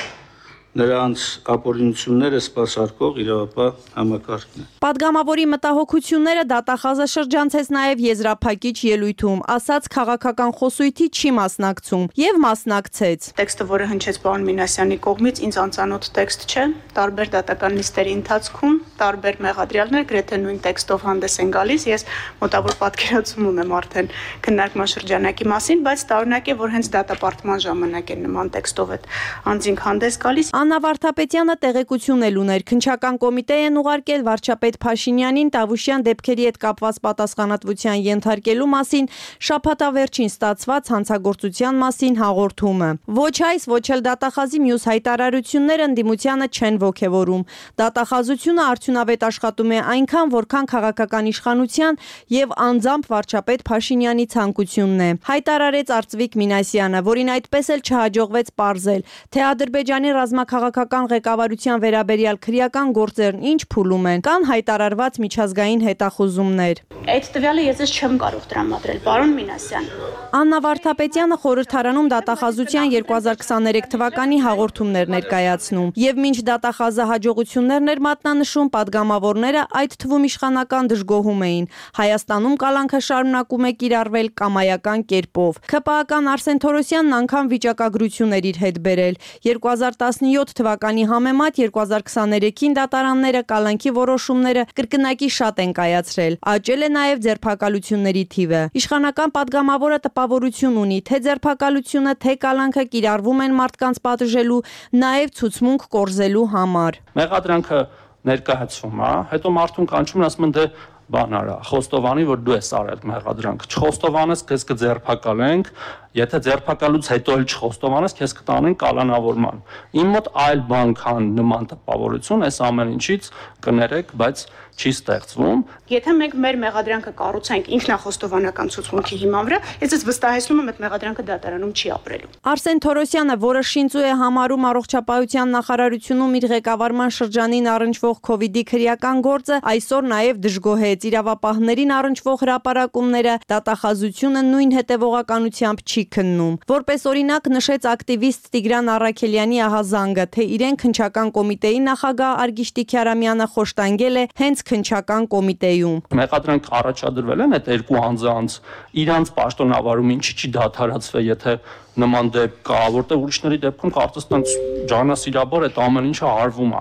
նրանց ապօրինությունները սպասարկող իրավապահ համակարգն է։ Падգամավորի մտահոգությունները դատախազը շրջանցեց նաև եզրափակիչ ելույթում, ասաց քաղաքական խոսույթի չի մասնակցում եւ մասնակցեց։ Տեքստը, որը հնչեց պարոն Մինասյանի կողմից, ինձ անծանոթ տեքստ չէ, տարբեր դատական նիստերի ընթացքում տարբեր մեղադրյալներ գրեթե նույն տեքստով հանդես են գալիս, ես մոտավոր պատկերացում ունեմ արդեն քննարկման շրջանակի մասին, բայց տարօրինակ է, որ հենց դատապարտման ժամանակ են նման տեքստով այդ անձինք հանդես գալիս։ Աննա Վարդապետյանը տեղեկություն էլ ուներ, քննչական կոմիտե են ուղարկել վարչապետ Փաշինյանին Տավուշյան դեպքերի հետ կապված պատասխանատվության ենթարկելու մասին շաբաթավերջին ստացված հանցագործության մասին հաղորդումը։ Ոչ այս, ոչ էլ դատախազի մյուս հայտարարությունները ընդդիմությանը չեն ոգևորում։ Դատախազությունը արդյունավետ աշխատում է այնքան, որքան քաղաքական իշխանության եւ անձամբ վարչապետ Փաշինյանի ցանկությունն է։ Հայտարարեց Արծվիկ Մինասյանը, որին այդպես էլ չհաջողվեց պարզել, թե Ադրբեջանի ռազմաքաղաքական ղեկավարության վերաբերյալ քրեական գործերն ինչ փուլում են, կան հայտարարված միջազգային հետախուզումներ։ Այդ տվյալը ես չեմ կարող տրամադրել, պարոն Մինասյան։ Աննա Վարդապետյանը խորհրդարանում դատախազության երկու հազար քսաներեք թվականի հաղորդումներ ներկայացնում եւ մինչ դատախազը հաջողություններն էր մատնանշում, падգամավորները այդ թվում իշխանական դժգոհում էին։ Հայաստանում կալանքը շարունակում է կիրառվել կամայական կերպով։ ՔՊԱ-ական Արսեն Թորոսյանն անգամ վիճակագրություն էր իր հետ բերել։ երկու հազար տասնյոթ թվականի համեմատ երկու հազար քսաներեքին դատարանները կալանքի որոշումները կրկնակի շատ են կայացրել։ Աճել է նաև ձերբակալությունների թիվը։ Իշխանական падգամավորը տպավորություն ունի, թե ձերբակալությունը, թե կալանքը կիրառվում են մարդկանց պատժելու, նաև ցուցմունք կորզելու համար։ Մեղադրանքը ներկայացվում է, հետո մարդուն կանչում են, ասում են դե բան արա, խոստովանի, որ դու ես արել մեղադրանք, չխոստովանես, քեզ կձերբակալենք, եթե ձերբակալուց հետո էլ չխոստովանես, քեզ կտանեն կալանավորման։ Իմ մոտ այլ բան քան նման տպավորություն, այս ամեն ինչից կներեք, բայց չի ստեղծվում։ Եթե մենք մեր մեղադրանքը կառուցենք ինքնախոստովանական ցուցմունքի հիման վրա, ես ես վստահեցնում եմ, այդ մեղադրանքը դատարանում չի ապրելու։ Արսեն Թորոսյանը, որը շինծու է համարում առողջապահության նախարարությունում իր ղեկավարման շրջանին առնչվող քովիդի քրեական գործը, այսօր նաև դժգոհեց իրավապահներին առնչվող հրապարակումները, դատախազությունը նույն հետևողականությամբ չի քննում։ Որպես օրինակ նշեց ակտիվիստ Տիգրան Առաքելյանի ահազանգը, թե իրեն քննչական կոմիտեի նախագահ Արգիշտի Քյարամյանը խոշտանգել է հենց քննչական կոմիտեում։ Մեղադրանք առաջադրվել են այդ երկու անձանց իրանց պաշտոնավարում ինչի չի դադարացվել, եթե նման դեպք կա, որտեղ ուրիշների դեպքում կարծես տենց ջանասիրաբար այդ ամեն ինչը արվում է։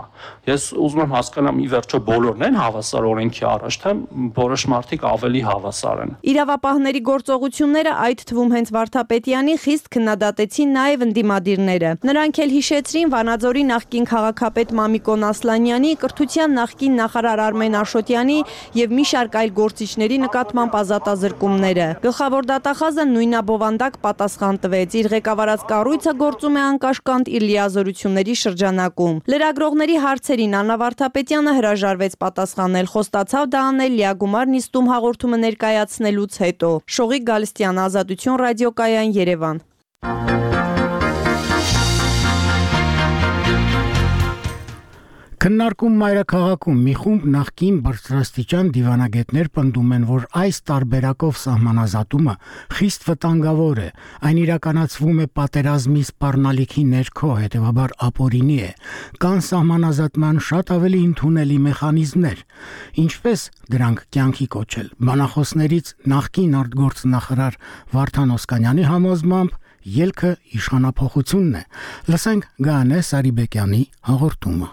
Ես ուզում եմ հասկանամ ի վերջո բոլորն են հավասար օրենքի առաջ, թե որոշ մարդիկ ավելի հավասար են։ Իրավապահների գործողությունները, այդ թվում հենց Վարդապետյանի, խիստ քննադատեցին նաև ընդդիմադիրները։ Նրանք էլ հիշեցրին Վանաձորի նախկին քաղաքապետ Մամիկոն Ասլանյանի, կրթության նախկին նախարար Արմեն Աշոտյանի եւ մի շարք այլ գործիչների նկատմամբ ազատազրկումները։ Գլխավոր դատախազը նույնաբովանդակ պատասխան տվեց։ Իր ղեկավարած կառույցը գործում է անկաշկանդ իր լիազորությունների շրջանակում։ Լրագրողների հարցերին Աննա Վարդապետյանը հրաժարվեց պատասխանել, խոստացավ դա անել լիագումար նիստում հաղորդումը ներկայացնելուց հետո։ Շողիկ Գալստյան, Ազատություն ռադիոկայան, Երևան։ Քննարկում մայրաքաղաքում մի խումբ նախկին բարձրաստիճան դիվանագետներ պնդում են, որ այս տարբերակով սահմանազատումը խիստ վտանգավոր է, այն իրականացվում է պատերազմի սպառնալիքի ներքո, հետևաբար ապօրինի է, կան սահմանազատման շատ ավելի ընդունելի մեխանիզմներ, ինչպես դրանք կյանքի կոչել։ Բանախոսներից նախկին արտգործնախարար Վարդան Օսկանյանի համոզմամբ ելքը իշխանափոխությունն է։ Լսենք Գանե Սարիբեկյանի հաղորդումը։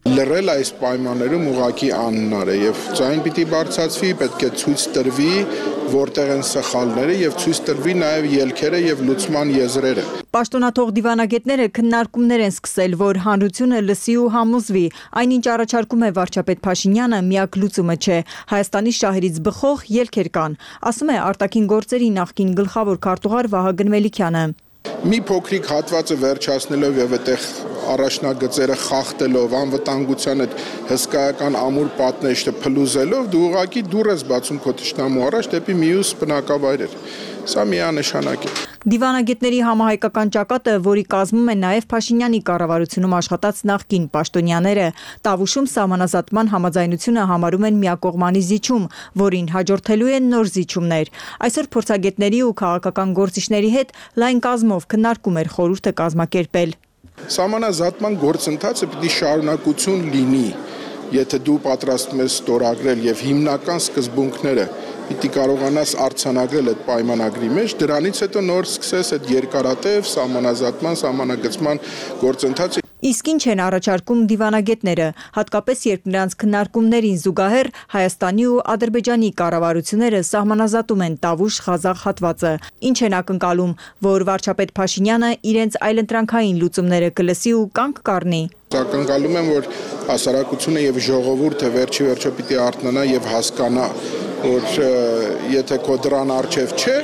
Լռել այս պայմաններում ուղղակի անհնար է եւ ձայն պիտի բարձրացվի, պետք է ցույց տրվի, որտեղ են սխալները եւ ցույց տրվի նաեւ ելքերը եւ լուծման եզրերը։ Պաշտոնաթող դիվանագետները քննարկումներ են սկսել, որ հանրությունը լսի ու համոզվի, այնինչ առաջարկում է վարչապետ Փաշինյանը, միակ լուծումը չէ։ Հայաստանի շահերից բխող ելքեր կան, ասում է արտաքին գործերի նախկին գլխավոր քարտուղար Վահագն Մելիքյանը։ Մի փոքրիկ հատվածը վերջացնելով եւ այդտեղ առաջնագծերը խախտելով, անվտանգության այդ հսկայական ամուր պատնեշտը փլուզելով, դու ուղղակի դուռ ես բացում քո թշնամու առաջ դեպի մյուս բնակավայրեր։ Սա միանշանակ է։ Դիվանագետների համահայկական ճակատը, որի կազմում են նաև Փաշինյանի կառավարությունում աշխատած նախկին պաշտոնյաները, Տավուշում սահմանազատման համաձայնությունը համարում են միակողմանի զիջում, որին հաջորդելու են նոր զիջումներ։ Այսօր փորձագետների ու քաղաքական գործիչների հետ լայն կազմով քննարկում էր խորհուրդը կազմակերպել։ Սահմանազատման գործընթացը պիտի շարունակություն լինի, եթե դու պատրաստվում ես ստորագրել եւ հիմնական սկզբունքները պիտի կարողանաս արձանագրել այդ պայմանագրի մեջ, դրանից հետո նոր սկսես այդ երկարատև սահմանազատման, սահմանագծման գործընթացը։ Իսկ ինչ են առաջարկում դիվանագետները, հատկապես երբ նրանց քննարկումներին զուգահեռ Հայաստանի ու Ադրբեջանի կառավարությունները սահմանազատում են Տավուշ-Ղազախ հատվածը։ Ինչ են ակնկալում, որ վարչապետ Փաշինյանը իրենց այլընտրանքային լուծումները կլսի ու կանգ կառնի։ Ակնկալում եմ, որ հասարակությունը եւ ժողովուրդը վերջի վերջո պիտի արթնանա եւ հասկանա, որ եթե քո դրան արժև չէ,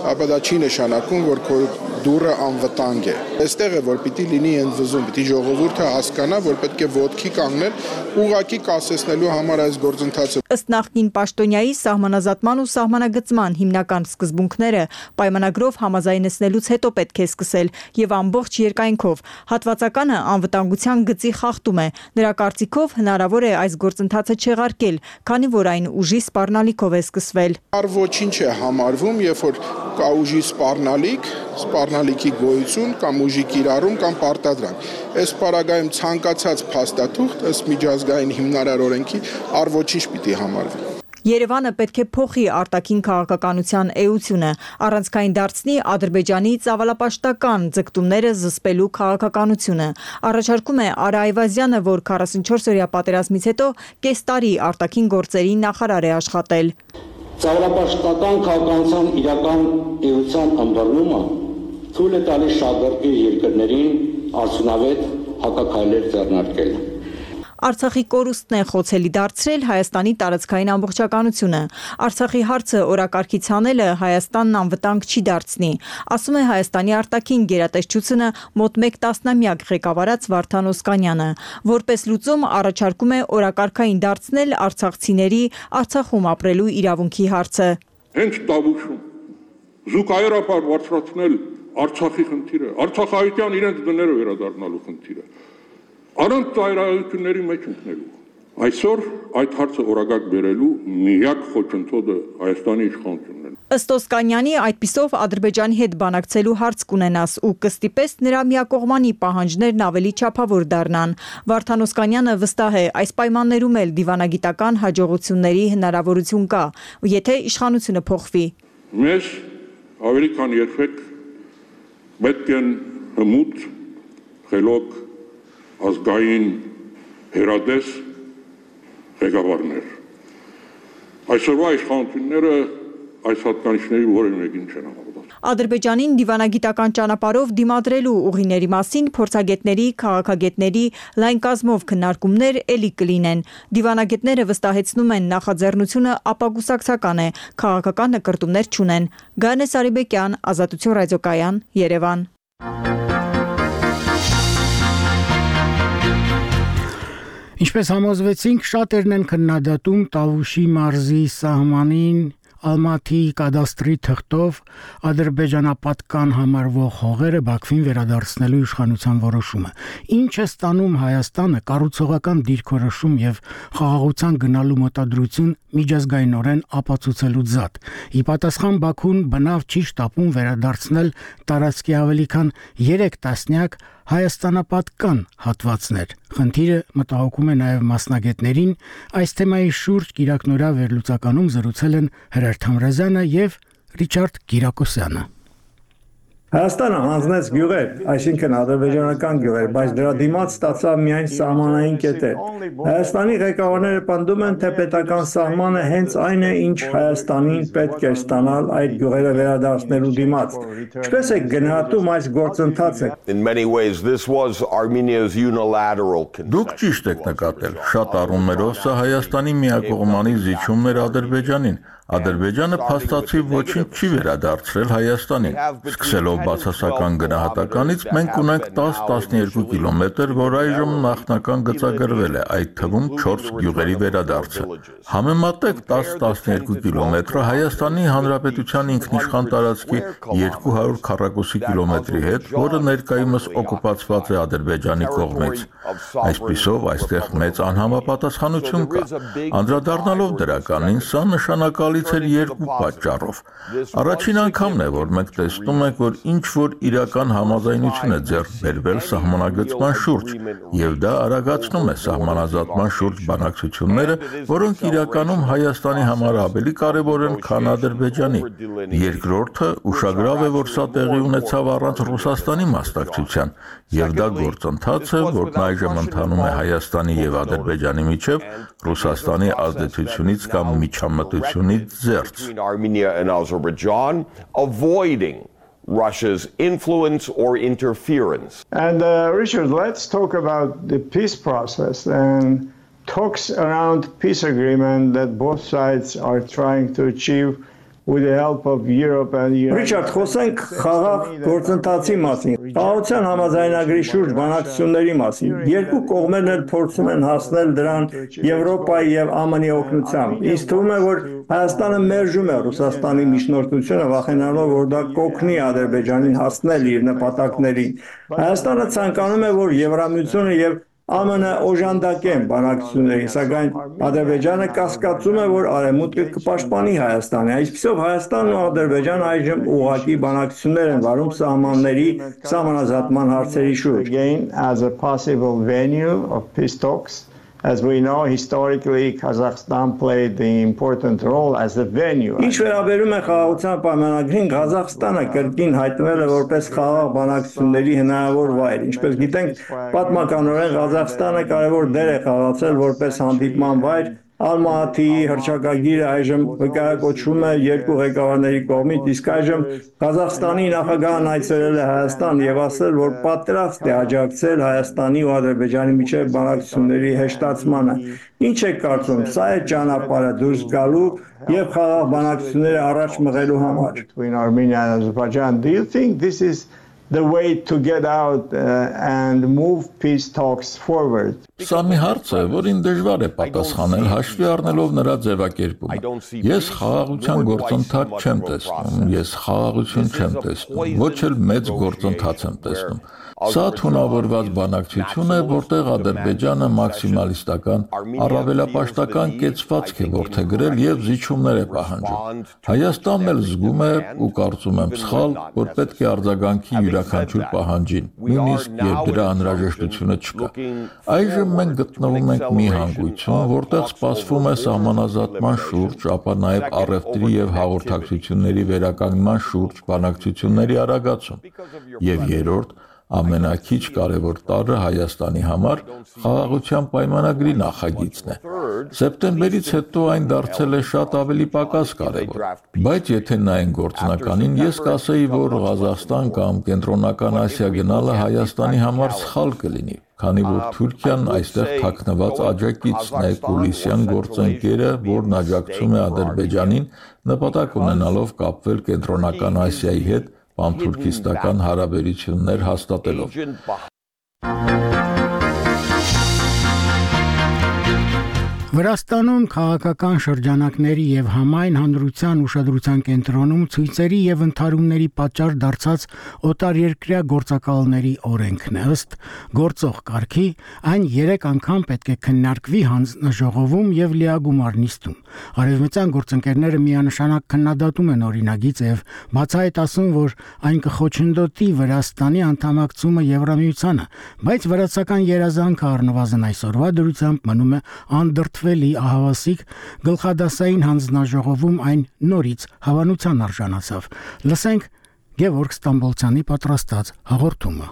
ապա դա չի նշանակում, որ քո դուռը անվտանգ է։ Այստեղ է, որ պիտի լինի ընդվզում, պիտի ժողովուրդը հասկանա, որ պետք է ոտքի կանգնել, ուղղակի կասեցնելու համար այս գործընթացը։ Ըստ նախկին պաշտոնյայի սահմանազատման ու սահմանագծման հիմնական սկզբունքները պայմանագրով համաձայնեցնելուց հետո պետք է սկսել եւ ամբողջ երկայնքով։ Հատվածականը անվտանգության գծի խախտում է։ Նրա կարծիքով հնարավոր է այս գործընթացը չեղարկել, քանի որ այն ուժի սպառնալիքով է սկսվել։ Ոչինչ է համարվում, երբ որ կա ուժի սպառնալիք, սպառնալիքի գոյություն կամ ուժի կիրառում կամ պարտադրանք։ Այս պարագայում ցանկացած փաստաթուղթ ըստ միջազգային հիմնարար օրենքի առ ոչինչ պիտի համարվի։ Երևանը պետք է փոխի արտաքին քաղաքականության էությունը, առանցքային դարձնի Ադրբեջանի ծավալապաշտական ձգտումները զսպելու քաղաքականությունը։ Առաջարկում է Արա Այվազյանը, որ քառասունչորս-օրյա պատերազմից հետո կես տարի արտաքին գործերի նախարար է աշխատել։ Ծավալապաշտական քաղաքականության իրական էության ըմբռնումը թույլ է տալիս շահագրգիռ երկրներին արդյունավետ հակաքայլեր ձեռնարկել։ Արցախի կորուստն է խոցելի դարձրել Հայաստանի տարածքային ամբողջականությունը։ Արցախի հարցը օրակարգից հանելը Հայաստանն անվտանգ չի դարձնի, ասում է Հայաստանի արտաքին գերատեսչությունը մոտ մեկ տասնամյակ ղեկավարած Վարդան Օսկանյանը, որպես լուծում առաջարկում է օրակարգային դարձնել արցախցիների Արցախում ապրելու իրավունքի հարցը։ Հենց Տավուշում զուգահեռաբար բարձրացնել Արցախի խնդիրը, արցախահայության իրենց դները վերադառնալու խնդիրը, առանց ծայրահեղությունների մեջ ընկնելու։ Այսօր այդ հարցը օրակարգ բերելու միակ խոչընդոտը Հայաստանի իշխանությունն է։ Ըստ Օսկանյանի, այդպիսով Ադրբեջանի հետ բանակցելու հարց կունենաս ու կստիպես նրա միակողմանի պահանջներն ավելի չափավոր դառնան։ Վարդան Օսկանյանը վստահ է, այս պայմաններում էլ դիվանագիտական հաջողությունների հնարավորություն կա, եթե իշխանությունը փոխվի։ Մեզ ավելի քան երբեք պետք են հմուտ, խելոք, ազգային հերադես ղեկավարներ։ Այսօրվա իշխանությունները այս հատկանիշների որևէ մեկին չեն համապատասխանում։ Ադրբեջանին դիվանագիտական ճանապարհով դիմադրելու ուղիների մասին փորձագետների, քաղաքագետների լայն կազմով քննարկումներ էլի կլինեն։ Դիվանագետները վստահեցնում են նախաձեռնությունը ապագուսակցական է, քաղաքական նկրտումներ չունեն։ Գայանե Սարիբեկյան, Ազատություն ռադիոկայան, Երևան։ Ինչպես համոզվեցինք, շատերն են քննադատում Տավուշի մարզի սահմանին Ալմաթի կադաստրի թղթով ադրբեջանապատկան համարվող հողերը Բաքվին վերադարձնելու իշխանության որոշումը։ Ինչ է ստանում Հայաստանը կառուցողական դիրքորոշում եւ խաղաղության գնալու մոտադրություն միջազգայինորեն ապացուցելու զատ։ Ի պատասխան Բաքուն բնավ չի շտապում վերադարձնել տարածքի ավելի քան երեք տասնյակ հայաստանապատկան հատվածներ։ Խնդիրը մտահոգում է նաև մասնագետներին։ Այս թեմայի շուրջ Կիրակնորա վերլուծականում զրուցել են Հրեր Թամրազյանը եւ Ռիչարդ Կիրակոսյանը։ Հայաստանը հանձնեց գյուղեր, այսինքն ադրբեջանական գյուղեր, բայց դրա դիմաց ստացավ միայն սահմանային կետեր։ Հայաստանի ղեկավարները պնդում են, թե պետական սահմանը հենց այն է, ինչ Հայաստանին պետք է ստանալ այդ գյուղերը վերադարձնելու դիմաց։ Ինչպես է գնահատում այս գործընթացը։ Դուք ճիշտ եք նկատել, շատ առումներով սա Հայաստանի միակողմանի զիջումն էր Ադրբեջանին։ Ադրբեջանը փաստացի ոչինչ չի վերադարձրել Հայաստանին։ Սկսելով բացասական գնահատականից մենք ունենք տասը տասնյոթ կիլոմետր, որ այժմ նախնական գծագրվել է, այդ թվում չորս գյուղերի վերադարձը։ Համեմատեք տասը տասնյոթ կիլոմետրը Հայաստանի Հանրապետության ինքնիշխան տարածքի երկու հարյուր քառակուսի կիլոմետրի հետ, որը ներկայումս օկուպացված է Ադրբեջանի կողմից։ Այսպիսով այստեղ մեծ անհամապատասխանություն կա։ Անդրադառնալով դրականին, սա նշանակալից էր երկու պատճառով։ Առաջին անգամն է, որ մենք տեսնում ենք, որ ինչ որ իրական համաձայնություն է ձեռք բերվել սահմանագծման շուրջ, եւ դա արագացնում է սահմանազատման շուրջ բանակցությունները, որոնք իրականում Հայաստանի համար ավելի կարևոր են, քան Ադրբեջանի։ Երկրորդը ուշագրավ է, որ սա տեղի ունեցավ առանց Ռուսաստանի մասնակցության, եւ դա գործընթաց է, որն այժմ ընթանում է Հայաստանի եւ Ադրբեջանի միջեւ Ռուսաստանի ազդեցությունից կամ միջամտությունից զերծ։ Russia's influence or interference. And uh, Richard, let's talk about the peace process and talks around peace agreement that both sides are trying to achieve with the help of Europe and United Richard, խոսենք խաղաղ գործընթացի մասին, խաղաղության համաձայնագրի շուրջ բանակցությունների մասին։ Երկու կողմերն էլ փորձում են հասնել դրան Եվրոպայի եւ ԱՄՆ-ի օգնությամբ։ Ինձ թվում է, որ Հայաստանը մերժում է Ռուսաստանի միջնորդությունը, վախենալով, որ դա կօգնի Ադրբեջանին հասնել իր նպատակներին։ Հայաստանը ցանկանում է, որ Եվրամիությունը եւ ԱՄՆ-ը օժանդակեն բանակցություններին, սակայն Ադրբեջանը կասկածում է, որ Արևմուտքը կպաշտպանի Հայաստանը։ Այսպիսով Հայաստանն ու Ադրբեջանը այժմ ուղղակի բանակցություններ են վարում սահմանների սահմանազատման հարցերի շուրջ։ As a possible venue of peace talks. As we know, historically, Kazakhstan played the important role as a venue. Ինչ վերաբերում է խաղաղության պայմանագրին, Ղազախստանը կրկին հայտնվել է որպես խաղաղ բանակցությունների հնարավոր վայր։ Ինչպես գիտենք, պատմականորեն Ղազախստանը կարևոր դեր է խաղացել որպես հանդիպման վայր Ալմատիի հռչակագիրը այժմ վկայակոչվում է երկու ղեկավարների կողմից, իսկ այժմ Ղազախստանի նախագահն այցելել է Հայաստան եւ ասել, որ պատրաստ է աջակցել Հայաստանի ու Ադրբեջանի միջև բանակցությունների հեշտացմանը։ Ինչ եք կարծում, սա է ճանապարհը դուրս գալու եւ խաղաղ բանակցությունները առաջ մղելու համար։ Between Armenia and Azerbaijan, do you think this is the way to get out uh, and move peace talks forward? Սա մի հարց է, որին դժվար է պատասխանել հաշվի առնելով նրա ձևակերպումը։ Ես խաղաղության գործընթաց չեմ տեսնում, ես խաղաղություն չեմ տեսնում, ոչ էլ մեծ գործընթաց եմ տեսնում։ Սա թունավորված բանակցություն է, որտեղ Ադրբեջանը մաքսիմալիստական, առավելապաշտական կեցվածք է որդեգրել եւ զիջումներ է պահանջում։ Հայաստանն էլ զգում է ու կարծում եմ սխալ, որ պետք է արձագանքի յուրաքանչյուր պահանջին, նույնիսկ երբ դրա անհրաժեշտությունը չկա։ Այժմ մենք գտնվում ենք մի հանգույցում, որտեղ սպասվում է սահմանազատման շուրջ, ապա նաեւ առևտրի եւ հաղորդակցությունների վերականգնման շուրջ բանակցությունների արագացում։ Եվ երրորդ ամենակիչ կարևոր տարրը Հայաստանի համար խաղաղության պայմանագրի նախագիծն է։ Սեպտեմբերից հետո այն դարձել է շատ ավելի պակաս կարևոր։ Բայց եթե նայենք գործնականին, ես կասեի, որ Ղազախստան կամ Կենտրոնական Ասիա գնալը Հայաստանի համար սխալ կլինի, քանի որ Թուրքիան այստեղ թաքնված աջակիցն է, կուլիսյան գործընկերը, որն աջակցում է Ադրբեջանին, նպատակ ունենալով կապվել Կենտրոնական Ասիայի հետ պանթուրքիստական հարաբերություններ հաստատելով։ Վրաստանում քաղաքական շրջանակների եւ համայն հանրության ուշադրության կենտրոնում ցույցերի եւ ընդհարումների պատճառ դարձած օտարերկրյա գործակալների օրենքն է։ Ըստ գործող կարգի, այն երեք անգամ պետք է քննարկվի հանձնաժողովում եւ լիագումար նիստում։ Արևմտյան գործընկերները միանշանակ քննադատում են օրինագիծը եւ բացահայտ ասում, որ այն կխոչընդոտի Վրաստանի անդամակցումը Եվրամիությանը, բայց վրացական երազանքը առնվազն այսօրվա դրությամբ մնում է անդրդվելի ահավասիկ, գլխադասային հանձնաժողովում այն նորից հավանության արժանացավ։ Լսենք Գևորգ Ստամբոլցյանի պատրաստած հաղորդումը։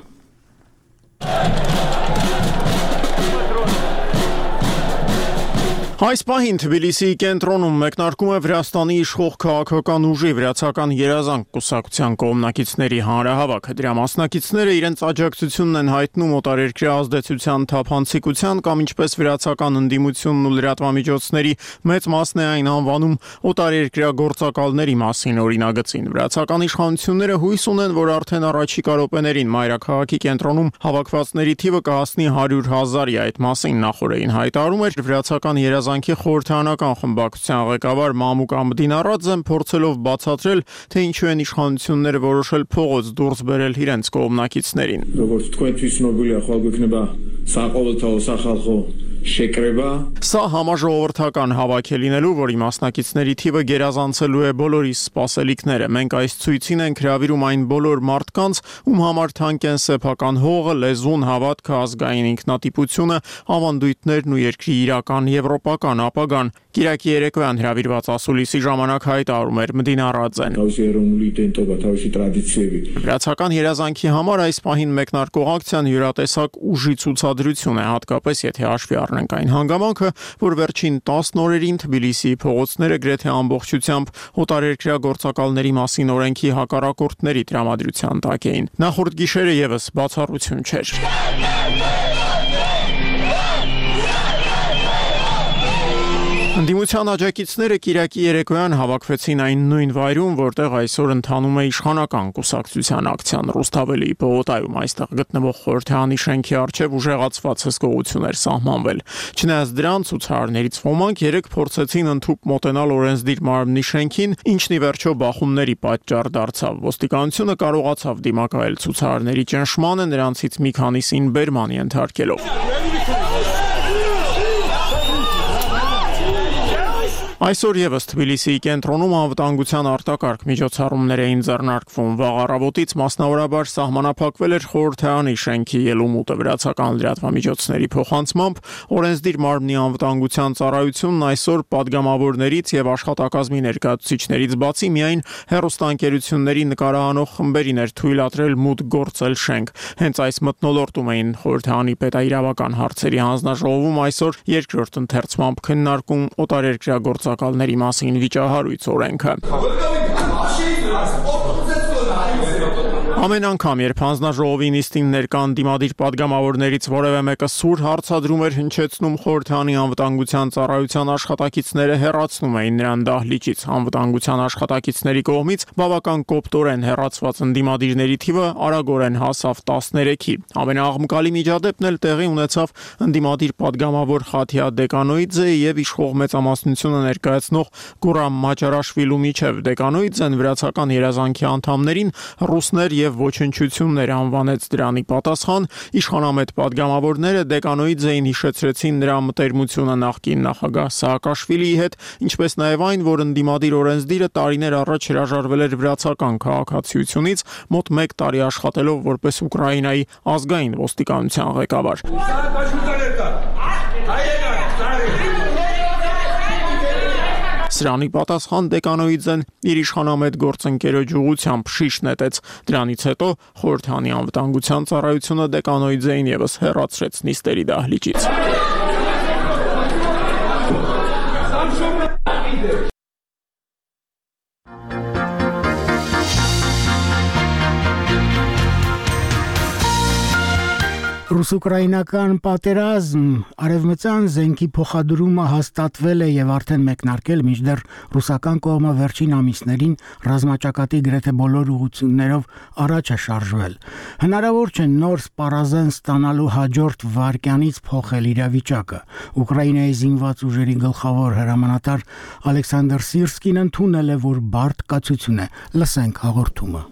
Այս պահին Թբիլիսիի կենտրոնում մեկնարկում է Վրաստանի իշխող քաղաքական ուժի վրացական երազանք կուսակցության կողմնակիցների հանրահավաքը։ Դրա մասնակիցները իրենց աջակցությունն են հայտնում օտարերկրյա ազդեցության թափանցիկության կամ ինչպես վրացական ընդդիմությունն ու լրատվամիջոցների մեծ մասն է այն անվանում օտարերկրյա գործակալների մասին օրինագծին։ Վրացական իշխանությունները հույս ունեն, որ արդեն առաջիկա րոպեներին մայրաքաղաքի կենտրոնում հավաքվածների թիվը կհասնի հարյուր հազարի։ Այդ մասին նախորդին հայտարարում էր վրացական երազանքի խորհրդարանական խմբակցության ղեկավար Մամուկ Ամդինարաձեն, փորձելով բացատրել, թե ինչու են իշխանությունները որոշել փողոց դուրս բերել իրենց կողմնակիցներին։ Սա համաժողովրդական հավաք է լինելու, որի մասնակիցների թիվը գերազանցելու է բոլորի սպասելիքները։ Մենք այս ցույցին ենք հրավիրում այն բոլոր մարդկանց, ում համար թանկ են սեփական հողը, լեզուն, հավատքը, ազգային ինքնատիպությունը, ավանդույթներն ու երկրի իրական եվրոպական ապագան։ Կիրակի երեկոյան հրավիրված ասուլիսի ժամանակ հայտարարում էր Մդինարաձեն։ Վրացական երազանքի համար այս պահին մեկնարկող ակցիան յուրատեսակ ուժի ցուցադրություն է, հատկապես եթե հաշվի առնենք այն հանգամանքը, որ վերջին տասն օրերին Թբիլիսիի փողոցները գրեթե ամբողջությամբ օտարերկրյա գործակալների մասին օրենքի հակառակորդների տրամադրության տակ էին։ Նախորդ գիշերը եւս բացառություն չէր։ Ընդդիմության աջակիցները Կիրակի երեկոյան հավաքվեցին այն նույն վայրում, որտեղ այսօր ընթանում է իշխանական կուսակցության ակցիան Ռուսթավելի պողոտայում։ Այստեղ գտնվող խորհրդարանի շենքի առջև ուժեղացված հսկողություն էր սահմանվել։ Չնայած դրան, ցուցարարներից ոմանք երեք փորձեցին ընդհուպ մոտենալ օրենսդիր մարմնի շենքին, ինչն ի վերջո բախումների պատճառ դարձավ։ Ոստիկանությունը կարողացավ դիմակայել ցուցարարների ճնշմանը, նրանցից մի քանիսին բերման ենթարկելով։ Այսօր եւս Թբիլիսիի կենտրոնում անվտանգության արտակարգ միջոցառումներ էին ձեռնարկվում։ Վաղ առավոտից մասնավորաբար սահմանափակվել էր խորհրդարանի շենքի ելումուտը վրացական լրատվամիջոցների փոխանցմամբ օրենսդիր մարմնի անվտանգության ծառայությունն այսօր падգամավորներից եւ աշխատակազմի ներկայացուցիչներից բացի միայն հեռուստաընկերությունների նկարահանող խմբերին էր թույլատրել մուտք գործել շենք։ Հենց այս մթնոլորտում էին խորհրդարանի պետաիրավական հարցերի հանձնաժողովում այսօր երկրորդ ընթերցմամբ քննարկում օտարերկրյա մասին վիճահարույց օրենքը։ Ամեն անգամ, երբ հանձնաժողովի նիստին ներկա ընդդիմադիր падգամավորներից որևէ մեկը սուր հարցադրում էր հնչեցնում խորհրդարանի անվտանգության ծառայության աշխատակիցները հեռացնում էին նրան դահլիճից։ Անվտանգության աշխատակիցների կողմից բավական կոպտորեն հեռացված ընդդիմադիրների թիվը արագորեն հասավ տասներեքի։ Ամենաաղմկալի միջադեպն էլ տեղի ունեցավ ընդդիմադիր падգամավոր Խաթիա Դեկանոիձեի եւ իշխող մեծամասնությունը ներկայացնող Գուրամ Մաճարաշվիլու միջև։ Դեկանոիձեն վրացական երազանքի անդամներին ռուսներ եւ ոչնչություններ անվանեց դրանի պատասխան իշխանամետ падգամավորները Դեկանոիձեին հիշեցրեցին նրա մտերմությունը նախկին նախագահ Սաակաշվիլիի հետ, ինչպես նաեւ այն, որ ընդդիմադիր օրենսդիրը տարիներ առաջ հրաժարվել էր վրացական քաղաքացիությունից, մոտ մեկ տարի աշխատելով որպես Ուկրաինայի ազգային ոստիկանության ղեկավար։ Սրանի պատասխան Դեկանոիձեն իր իշխանամետ գործընկերոջ ուղղությամբ շիշ նետեց։ Դրանից հետո խորհրդարանի անվտանգության ծառայությունը Դեկանոիձեին եւս հեռացրեց նիստերի դահլիճից։ Ռուս-ուկրաինական պատերազմ արևմտյան զենքի փոխադրումը հաստատվել է եւ արդեն մեկնարկել, մինչդեռ ռուսական կողմը վերջին ամիսներին ռազմաճակատի գրեթե բոլոր ուղղություններով առաջ է շարժվել։ Հնարավոր չէ նոր սպառազեն ստանալու հաջորդ վայրկյանից փոխել իրավիճակը։ Ուկրաինայի զինված ուժերի գլխավոր հրամանատար Ալեքսանդր Սիրսկին ընդունել է, որ բարդ կացություն է։ Լսենք հաղորդումը։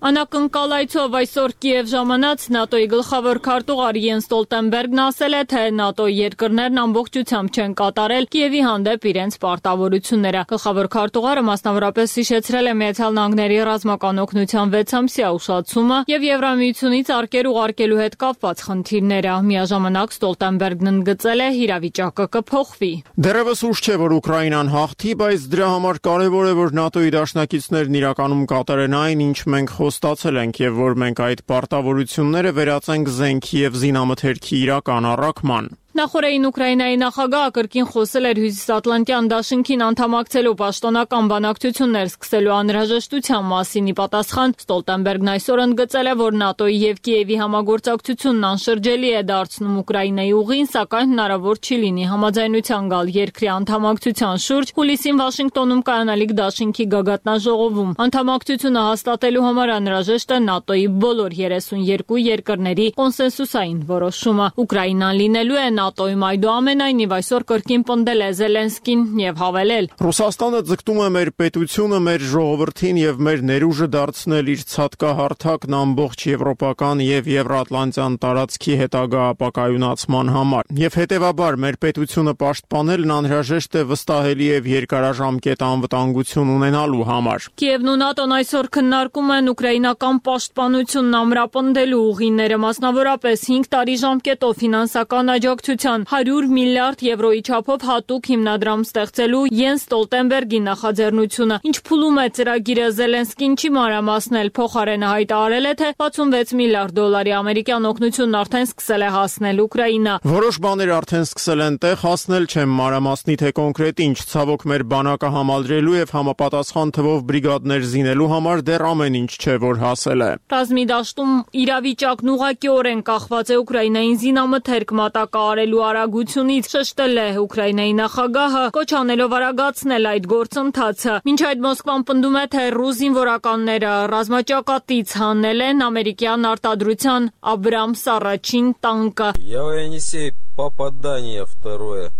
Անակնկալայցով այսօր Կիև ժամանած ՆԱՏՕ-ի գլխավոր քարտուղար Յենս Ստոլտենբերգն ասել է, թե ՆԱՏՕ-ի երկրներն ամբողջությամբ չեն կատարել Կիևի հանդեպ իրենց պարտավորությունները։ Գլխավոր քարտուղարը մասնավորապես հիշեցրել է Միացյալ Նահանգների ռազմական օգնության վեցամսյա ուշացումը եւ Եվրամիությունից արկեր ուղարկելու հետ կապված խնդիրները։ Միաժամանակ Ստոլտենբերգն ընդգծել է, իրավիճակը կփոխվի։ Դեռևս ուշ չէ, որ Ուկրաինան հաղթի, բայց դրա համար կարևոր է, որ ՆԱՏՕ-ի դաշնակիցներն իրականում կատարեն այն, ինչ մենք ստացել ենք եւ որ մենք այդ պարտավորությունները վերածենք զենքի եւ զինամթերքի իրական առաքման։ Նախորդին Ուկրաինայի նախագահը կրկին խոսել էր Հյուսիսատլանտյան դաշինքին անդամակցելու պաշտոնական բանակցություններ սկսելու անհրաժեշտության մասին։ Ի պատասխան Ստոլտենբերգն այսօր ընդգծել է, որ ՆԱՏՕ-ի եւ Կիևի համագործակցությունն անշրջելի է դարձնում Ուկրաինայի ուղին, սակայն հնարավոր չի լինի համաձայնության գալ երկրի անդամակցության շուրջ հուլիսին Վաշինգտոնում կայանալիք դաշինքի գագաթնաժողովում։ Անդամակցությունը հաստատելու համար անհրաժեշտ է ՆԱՏՕ-ի բոլոր երեսունյոթ երկրների կոնսենսուսային որոշումը։ Ուկրաինան լինելու է ՆԱՏՕ-ում այդուամենայնիվ այսօր կրկին պնդել է Զելենսկին եւ հավելել. Ռուսաստանը ձգտում է մեր պետությունը, մեր ժողովրդին եւ մեր ներուժը դարձնել իր ցածկահարթակն ամբողջ եվրոպական եւ եվրատլանտյան տարածքի հետագա ապակայունացման համար։ Եվ հետեւաբար մեր պետությունը պաշտպանելն անհրաժեշտ է վստահելի եւ երկարաժամկետ անվտանգություն ունենալու համար։ Կիևն ու ՆԱՏՕ-ն այսօր քննարկում են ուկրաինական պաշտպանությունն ամրապնդելու ուղիները, մասնավորապես հինգ տարի ժամկետով ֆինանսական աջակցություն հարյուր միլիարդ եվրոյի չափով հատուկ հիմնադրամ ստեղծելու Յենս Ստոլտենբերգի նախաձեռնությունը։ Ինչ փուլում է ծրագիրը, Զելենսկին չի մանրամասնել, փոխարենը հայտարարել է, թե վաթսունվեց միլիարդ դոլարի ամերիկյան օգնությունն արդեն սկսել է հասնել Ուկրաինա։ Որոշ բաներ արդեն սկսել են տեղ հասնել, չեմ մանրամասնի, թե կոնկրետ ինչ, ցավոք մեր բանակը համալրելու եւ համապատասխան թվով բրիգադներ զինելու համար դեռ ամեն ինչ չէ, որ հասել է։ Ռազմի դաշտում իրավիճակն ուղղակիորեն կախված է Ուկրաինային զինամթերք մատակարարելու արագությունից, շեշտել է Ուկրաինայի նախագահը, կոչ անելով արագացնել այդ գործընթացը։ Մինչ այդ Մոսկվան պնդում է, թե ռուս զինվորականները ռազմաճակատից հանել են ամերիկյան արտադրության Աբրամս առաջին տանկը։ Я Енисей, попадание второе.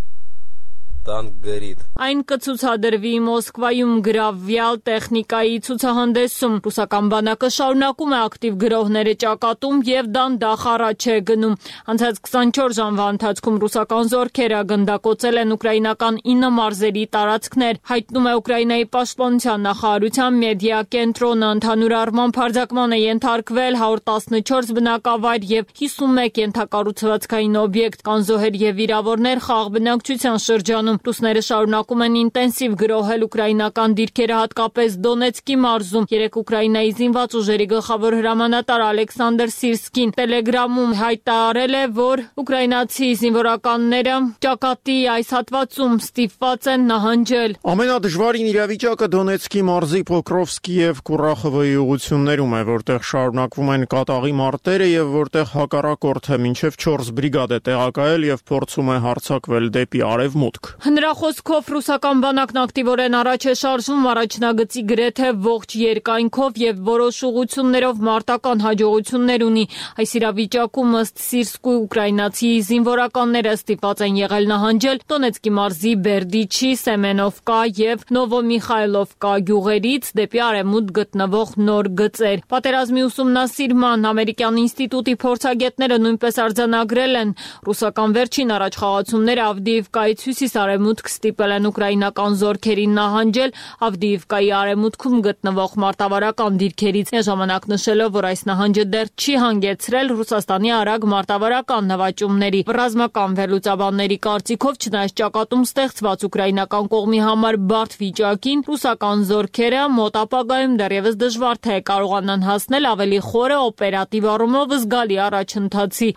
Այն կցուցադրվի Մոսկվայում գրավյալ տեխնիկայի ցուցահանդեսում։ Ռուսական բանակը շարունակում է ակտիվ գրոհները ճակատում եւ դանդաղ առաջ է գնում։ Անցած քսանչորս ժամվա ընթացքում ռուսական զորքերը գնդակոծել են ուկրաինական ինը մարզերի տարածքներ, հայտնում է Ուկրաինայի պաշտպանության նախարարության մեդիա կենտրոնը։ Ընդհանուր առմամբ հարձակման է ենթարկվել հարյուր տասնչորս բնակավայր եւ հիսունմեկ ենթակառուցվածքային օբյեկտ, կան զոհեր եւ վիրավորներ խաղաղ բնակչության շրջանում։ Ռուսները շարունակում են ինտենսիվ գրոհել ուկրաինական դիրքերը, հատկապես Դոնեցկի մարզում։ Երեք Ուկրաինայի զինված ուժերի գլխավոր հրամանատար Ալեքսանդր Սիրսկին Տելեգրամում հայտարարել է, որ ուկրաինացի զինվորականները ճակատի այս հատվածում ստիպված են նահանջել։ Ամենադժվարին իրավիճակը Դոնեցկի մարզի Պոկրովսկի եւ Կուրախովոյի ուղություններում է, որտեղ շարունակվում են կատաղի մարտերը եւ որտեղ հակառակորդը մինչեւ չորս բրիգադ է տեղակայել եւ փորձում է հարձակվել դեպի արևմուտք։ Նրա խոսքով ռուսական բանակն ակտիվորեն առաջ է շարժվում առաջնագծի գրեթե ողջ երկայնքով եւ որոշ ուղություններով մարտական հաջողություններ ունի։ Այս իրավիճակում ըստ Սիրսկու ուկրաինացի զինվորականները ստիպված են եղել նահանջել Դոնեցկի մարզի Բերդիչի, Սեմենովկա եւ Նովոմիխայլովկա գյուղերից դեպի արևմուտք գտնվող նոր գծեր։ Պատերազմի ուսումնասիրման ամերիկյան ինստիտուտի փորձագետները նույնպես արձանագրել են ռուսական վերջին առաջխաղացումները Ավդիիվկայից հյուսիս-արևմուտք ստիպել են ուկրաինական զորքերին նահանջել Ավդիիվկայի արևմուտքում գտնվող մարտավարական դիրքերից։ Ժամանակ նշելով, որ այս նահանջը դեռ չի հանգեցրել Ռուսաստանի արագ մարտավարական նվաճումների։ Ռազմական վերլուծաբանների կարծիքով, չնայած ճակատում ստեղծված ուկրաինական կողմի համար բարդ վիճակին, ռուսական զորքերը մոտ ապագայում դեռևս դժվար թե կարողանան հասնել ավելի խորը օպերատիվ առումով զգալի առաջընթացի։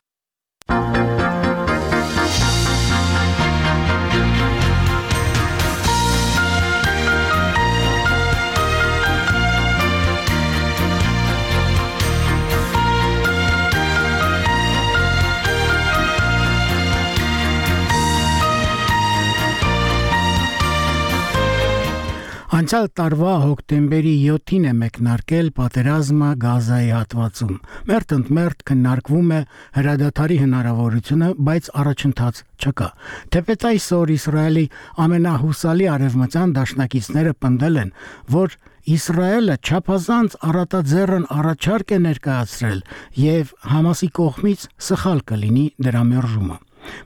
Անցյալ տարվա հոկտեմբերի յոթին է մեկնարկել պատերազմը Գազայի հատվածում։ Մերթ ընդ մերթ քննարկվում է հրադադարի հնարավորությունը, բայց առաջընթաց չկա։ Թեպետ այսօր Իսրայելի ամենահուսալի արևմտյան դաշնակիցները պնդել են, որ Իսրայելը չափազանց առատաձեռն առաջարկ է ներկայացրել եւ Համասի կողմից սխալ կլինի դրա մերժումը։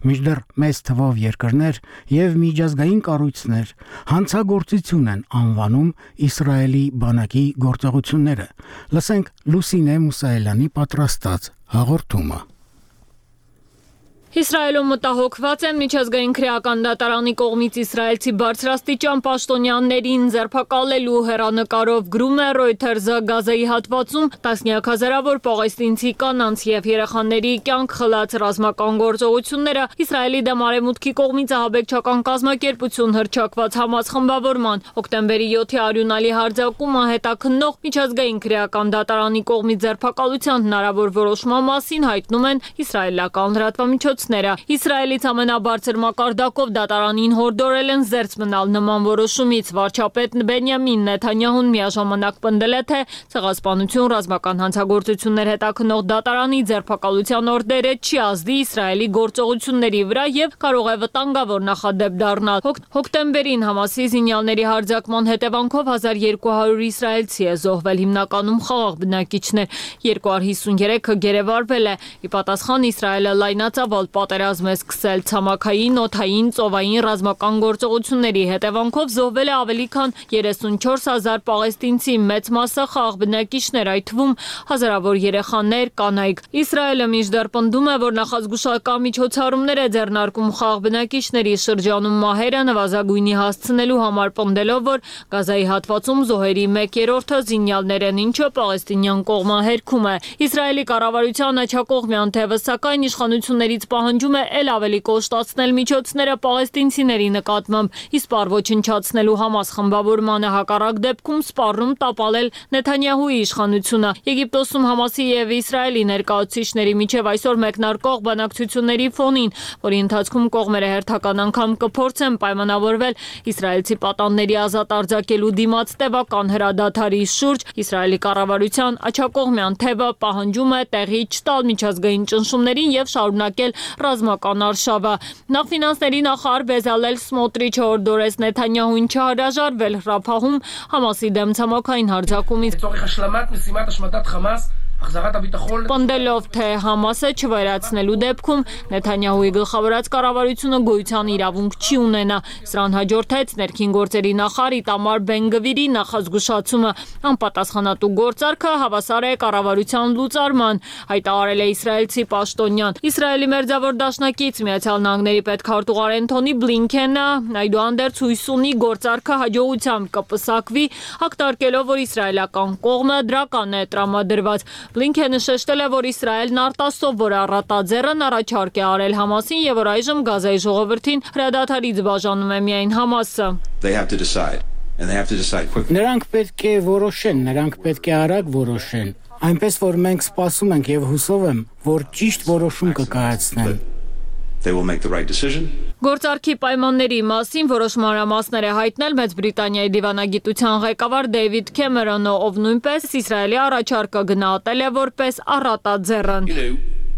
Մինչդեռ մեծ թվով երկրներ եւ միջազգային կառույցներ հանցագործություն են անվանում Իսրայելի բանակի գործողությունները։ Լսենք Լուսինե Մուսայելյանի պատրաստած հաղորդումը։ Իսրայելում մտահոգված են միջազգային քրեական դատարանի կողմից իսրայելցի բարձրաստիճան պաշտոնյաներին ձերբակալելու հեռանկարով գրում է Reuters-ը Գազայի հատվածում տասնյակ հազարավոր պաղեստինցի կանանց եւ երեխաների կյանք խլած ռազմական գործողությունները Իսրայելի դեմ արևմուտքի կողմից ահաբեկչական կազմակերպություն հռչակված Համաս խմբավորման հոկտեմբերի յոթի արյունալի հարձակումը հետաքննող միջազգային քրեական դատարանի կողմից ձերբակալության հնարավոր որոշման մասին հայտնում են իսրայելական լրատվամիջոցները։ Իսրայելից ամենաբարձր մակարդակով դատարանին հորդորել են զերծ մնալ նման որոշումից։ Վարչապետ Բենյամին Նեթանյահուն միաժամանակ պնդել է, թե ցեղասպանություն, ռազմական հանցագործություններ հետաքննող դատարանի ձերբակալության օրդերը չի ազդի Իսրայելի գործողությունների վրա եւ կարող է վտանգավոր նախադեպ դառնալ։ Հոկտեմբերին Համասի զինյալների հարձակման հետևանքով հազար երկու հարյուր իսրայելցի է զոհվել, հիմնականում խաղաղ բնակիչներ, երկու հարյուր հիսուներեքը գերեվարվել է։ Ի պատասխան Իսրայելը լայնածավալ պատերազմ է սկսել ցամաքային, օդային, ծովային ռազմական գործողությունների հետևանքով զոհվել է ավելի քան երեսունչորս հազար պաղեստինցի, մեծ մասը խաղաղ բնակիչներ, այդ թվում հազարավոր երեխաներ, կանայք։ Իսրայելը մինչդեռ պնդում է, որ նախազգուշական միջոցառումներ է ձեռնարկում խաղաղ բնակիչների շրջանում մահերը նվազագույնի հասցնելու համար, պնդելով, որ Գազայի հատվածում զոհերի մեկ երրորդը զինյալներ են, ինչը պաղեստինյան կողմը հերքում է։ Իսրայելի կառավարության աջակողմյան թևը սակայն իշխանություններից պահանջում է ել ավելի կոշտացնել միջոցները պաղեստինցիների նկատմամբ, իսպառ ոչնչացնելու Համաս խմբավորմանը, հակառակ դեպքում սպառնում տապալել Նեթանյահուի իշխանությունը։ Եգիպտոսում Համասի եւ Իսրայելի ներկայացուցիչների միջև այսօր մեկնարկող բանակցությունների ֆոնին, որի ընթացքում կողմերը հերթական անգամ կփորձեն պայմանավորվել իսրայելցի պատանդների ազատ արձակելու դիմաց տևական հրադադարի շուրջ, Իսրայելի կառավարության աջակողմյան թևը պահանջում է տեղի չտալ միջազգային ճնշումներին եւ շարունակել ռազմական արշավը։ Նախ ֆինանսների նախարար Բեզալել Սմոտրիչը օրդորեց Նեթանյահուին չհրաժարվել Ռաֆահում Համասի դեմ ցամաքային հարձակումից։ Պնդելով, թե Համասը չվերացնելու դեպքում Նեթանյահուի գլխավորած կառավարությունը գոյության իրավունք չի ունենա։ Սրան հաջորդեց ներքին գործերի նախարար Իտամար Բեն-Գվիրի նախազգուշացումը։ Անպատասխանատու գործարքը հավասար է կառավարության լուծարման, հայտարարել է իսրայելցի պաշտոնյան։ Իսրայելի մերձավոր դաշնակից Միացյալ Նահանգների պետքարտուղար Էնթոնի Բլինքենը այդուհանդերձ հույս ունի գործարքը հաջողությամբ կպսակվի, ակտարկելով, որ իսրայելական կողմը դրական է տրամադրված։ Բլինքենը շեշտել է, որ Իսրայելն արտասով, որ առատաձեռն առաջարկ է արել Համասին եւ որ այժմ Գազայի ժողովրդին հրադադարից բաժանում է միայն Համասը։ Նրանք պետք է որոշեն, նրանք պետք է արագ որոշեն։ Այնպես որ մենք սպասում ենք եւ հուսով եմ, որ ճիշտ որոշում կկայացնեն։ They will make the right decision. Գործարքի պայմանների մասին որոշ մանրամասներ է հայտնել Մեծ Բրիտանիայի դիվանագիտության ղեկավար Դեյվիդ Քեմերոնը, ով նույնպես Իսրայելի առաջարկը գնահատել է որպես առատաձեռն։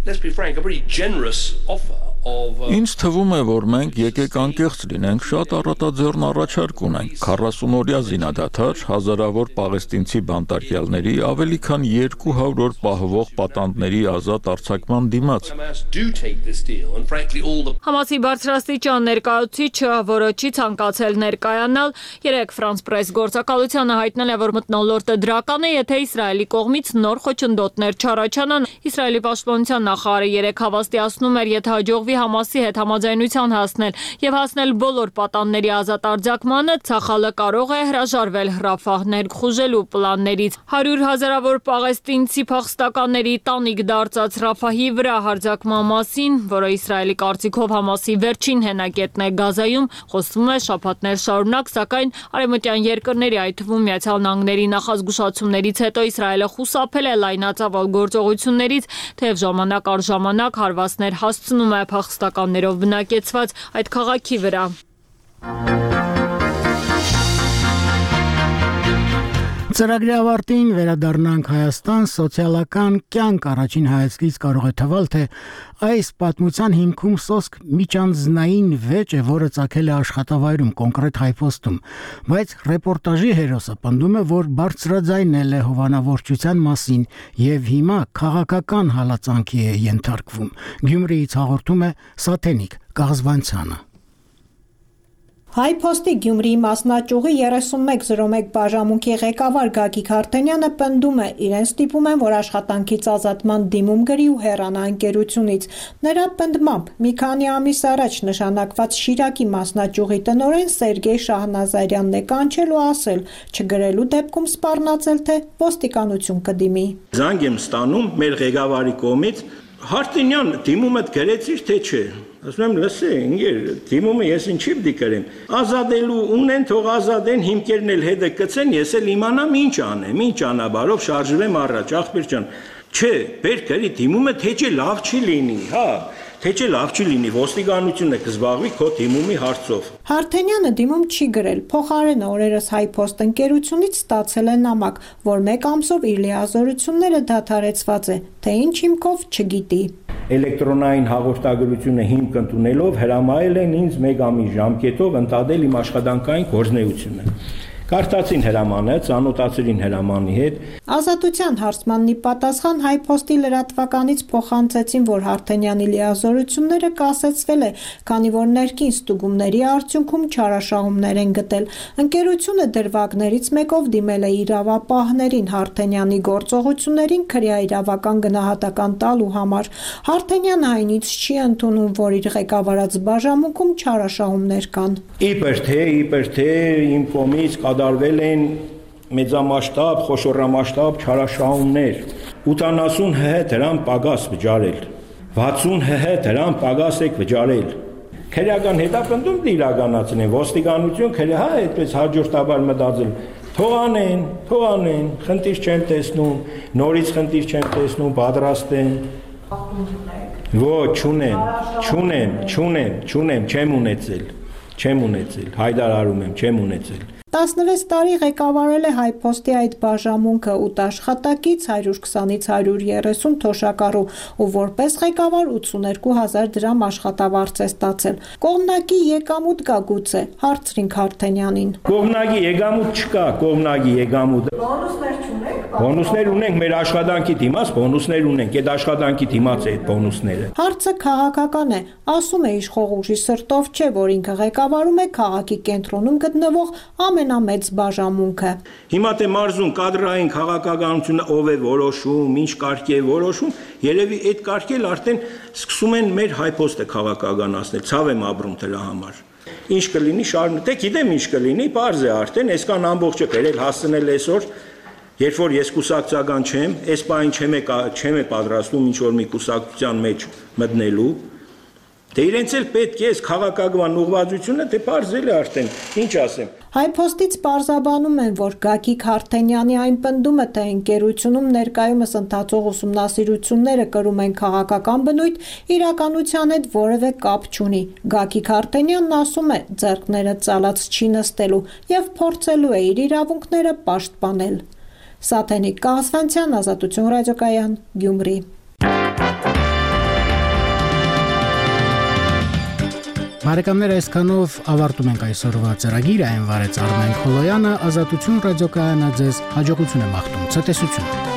Let's be frank, a pretty generous offer. Ինձ թվում է, որ մենք եկեք անկեղծ լինենք, շատ առատաձեռն առաջարկ ունենք, քառասուն-օրյա զինադադար, հազարավոր պաղեստինցի բանտարկյալների, ավելի քան երկու հարյուր օր պահվող պատանդների ազատ արձակման դիմաց։ Համասի բարձրաստիճան ներկայացուցիչը, որը չի ցանկացել ներկայանալ, երեկ France Press գործակալությանը հայտնել է, որ մթնոլորտը դրական է, եթե Իսրայելի կողմից նոր խոչընդոտներ չառաջանան։ Իսրայելի պաշտպանության նախարարը երեկ հավաստիացնում էր, եթե հաջողվի Համասի հետ համաձայնության հասնել եւ հասնել բոլոր պատանների ազատ արձակմանը, Ցախալը կարող է հրաժարվել Ռաֆահ ներխուժելու պլաններից։ Հարյուր հազարավոր պաղեստինցի փախստականների տանիք դարձած Ռաֆահի վրա հարձակման մասին, որը Իսրայելի կարծիքով Համասի վերջին հենակետն է Գազայում, խոսվում է շաբաթներ շարունակ, սակայն արևմտյան երկրների, այդ թվում Միացյալ Նահանգների նախազգուշացումներից հետո Իսրայելը խուսափել է լայնածավալ գործողություններից, թեև ժամանակ առ ժամանակ հարվածներ հասցնում է փախստականներով բնակեցված այդ քաղաքի վրա։ Ծրագրի ավարտին վերադառնանք Հայաստան, սոցիալական կյանք առաջին հայացքից կարող է թվալ, թե այս պատմության հիմքում սոսկ միջանձնային վեճ է, որը ծագել է աշխատավայրում, կոնկրետ հայփոստում, բայց ռեպորտաժի հերոսը պնդում է, որ բարձրաձայնել է հովանավորչության մասին եւ հիմա քաղաքական հալածանքի է ենթարկվում։ Գյումրիից հաղորդում է Սաթենիկ Կաղզվանցյանը։ Հայփոստի Գյումրիի մասնաճյուղի երեսունմեկ զրո մեկ բաժամունքի ղեկավար Գագիկ Հարթենյանը պնդում է, իրեն ստիպում են, որ աշխատանքից ազատման դիմում գրի ու հեռանա ընկերությունից։ Նրա պնդմամբ, մի քանի ամիս առաջ նշանակված Շիրակի մասնաճյուղի տնօրեն Սերգեյ Շահնազարյանն է կանչել ու ասել, չգրելու դեպքում սպառնացել, թե ոստիկանություն կդիմի։ Զանգ եմ ստանում մեր ղեկավարի կողմից, Հարթենյան, դիմում եք գրեցիր, թե չէ։ Ասում եմ, լսե, ինգեր, դիմումը ես ինչի՞ պիտի կրեմ։ Ազատելու ունեն, թող ազատեն, հիմքերն էլ հետը կծեն, ես էլ իմանամ ինչ անեմ, ինչ անաբարով շարժվեմ առաջ, ախպեր ջան։ Չէ, բեր գրի դիմումը թե չէ լավ չի լինի, հա։ Թե չէ լավ չի լինի, ոստիկանությունը կզբաղվի քո դիմումի հարցով։ Հարթենյանը դիմում չի գրել, փոխարենը օրերս Հայփոստ ընկերությունից ստացել է նամակ, որ մեկ ամսով իր լիազորությունները դադարեցված է, թե ինչ հիմքով չգիտի։ Էլեկտրոնային հաղորդագրությունը հիմք ընդունելով հրամայել են ինձ մեկ ամիս ժամկետով ընդադել իմ աշխատանքային գործունեությունը։ Կարդացին հրամանը, ծանոթացրին հրամանի հետ։ Ազատության հարցմաննի պատասխան Հայփոստի լրատվականից փոխանցեցին, որ Հարթենյանի լիազորությունները կասեցվել է, քանի որ ներքին ստուգումների արդյունքում չարաշահումներ են գտել։ Ընկերությունը դրվագներից մեկով դիմել է իրավապահներին Հարթենյանի գործողություններին քրեաիրավական գնահատական տալու համար։ Հարթենյանը այնից չի ընդունում, որ իր ղեկավարած բաժամունքում չարաշահումներ կան։ Իբր թե, իբր թե իմ կողմից կատարվել են մեծամասշտաբ, խոշորամասշտաբ չարաշահումներ, ութանասուն հ դրամ պագաս վճարել, վաթսուն հ դրամ պագաս եք վճարել։ Քրեական հետապնդում իրականացնեն, ոստիկանություն քրե, հա, այդպես հաջորդաբար մտածել, թող անեն, թող անեն, խնդիր չեմ տեսնում, նորից խնդիր չեմ տեսնում, պատրաստ են։ Ոչ, չունեմ, չունեմ, չունեմ, չունեմ, չեմ ունեցել, չեմ ունեցել, հայտարարում եմ, չեմ ունեցել։ տասնվեց տարի ղեկավարել է Հայփոստի այդ բաժամունքը ութ աշխատակից, հարյուր քսանից հարյուր երեսուն թոշակառու ու որպես ղեկավար ութսուներկու հազար դրամ աշխատավարձ է ստացել։ Կողմնակի եկամուտ կա գուցե, հարցրին Քարթենյանին։ Կողմնակի եկամուտ չկա, կողմնակի եկամուտ։ Բոնուսներ չունեք։ Բոնուսներ ունենք, մեր աշխատանքի դիմաց բոնուսներ ունենք, այդ աշխատանքի դիմաց է այդ բոնուսները։ Հարցը քաղաքական է, ասում է իշխող ուժի սրտով չէ, որ ինքը ղեկավարում է քաղաքի կենտրոնում գտնվող ամենամեծ բաժամունքը։ Հիմա թե մարզում կադրային քաղաքականությունը ով է որոշում, ինչ կարգ է որոշում, երևի այդ կարգը արդեն սկսում են մեր Հայփոստը քաղաքականացնել, ցավ եմ ապրում դրա համար։ Ինչ կլինի շարունակեք, գիտեմ ինչ կլինի, բարձ է արդեն, այսքան ամբողջը բերել հասցնել այսօր, երբ որ ես կուսակցական չեմ, այս բան չեմ չեմ պատրաստվում ինչ որ մի կուսակցության մեջ մտնելու, դե իրենց էլ պետք է այս քաղաքական ուղղվածությունը դե բարձել է արդեն, ինչ ասեմ։ Հայփոստից պարզաբանում են, որ Գագիկ Հարթենյանի այն պնդումը, թե ընկերությունում ներկայումս ընթացող ուսումնասիրությունները կրում են քաղաքական բնույթ, իրականության հետ որևէ կապ չունի։ Գագիկ Հարթենյանն ասում է, ձեռքները ծալած չի նստելու եւ փորձելու է իր իրավունքները պաշտպանել։ Սաթենիկ Կահասվանցյան, Ազատություն ռադիոկայան, Գյումրի։ Բարեկամներ, այսքանով ավարտում ենք այսօրվա ծրագիրը, այն վարեց Արմեն Խոլոյանը, Ազատություն ռադիոկայանը ձեզ հաջողություն է մաղթում, ցտեսություն։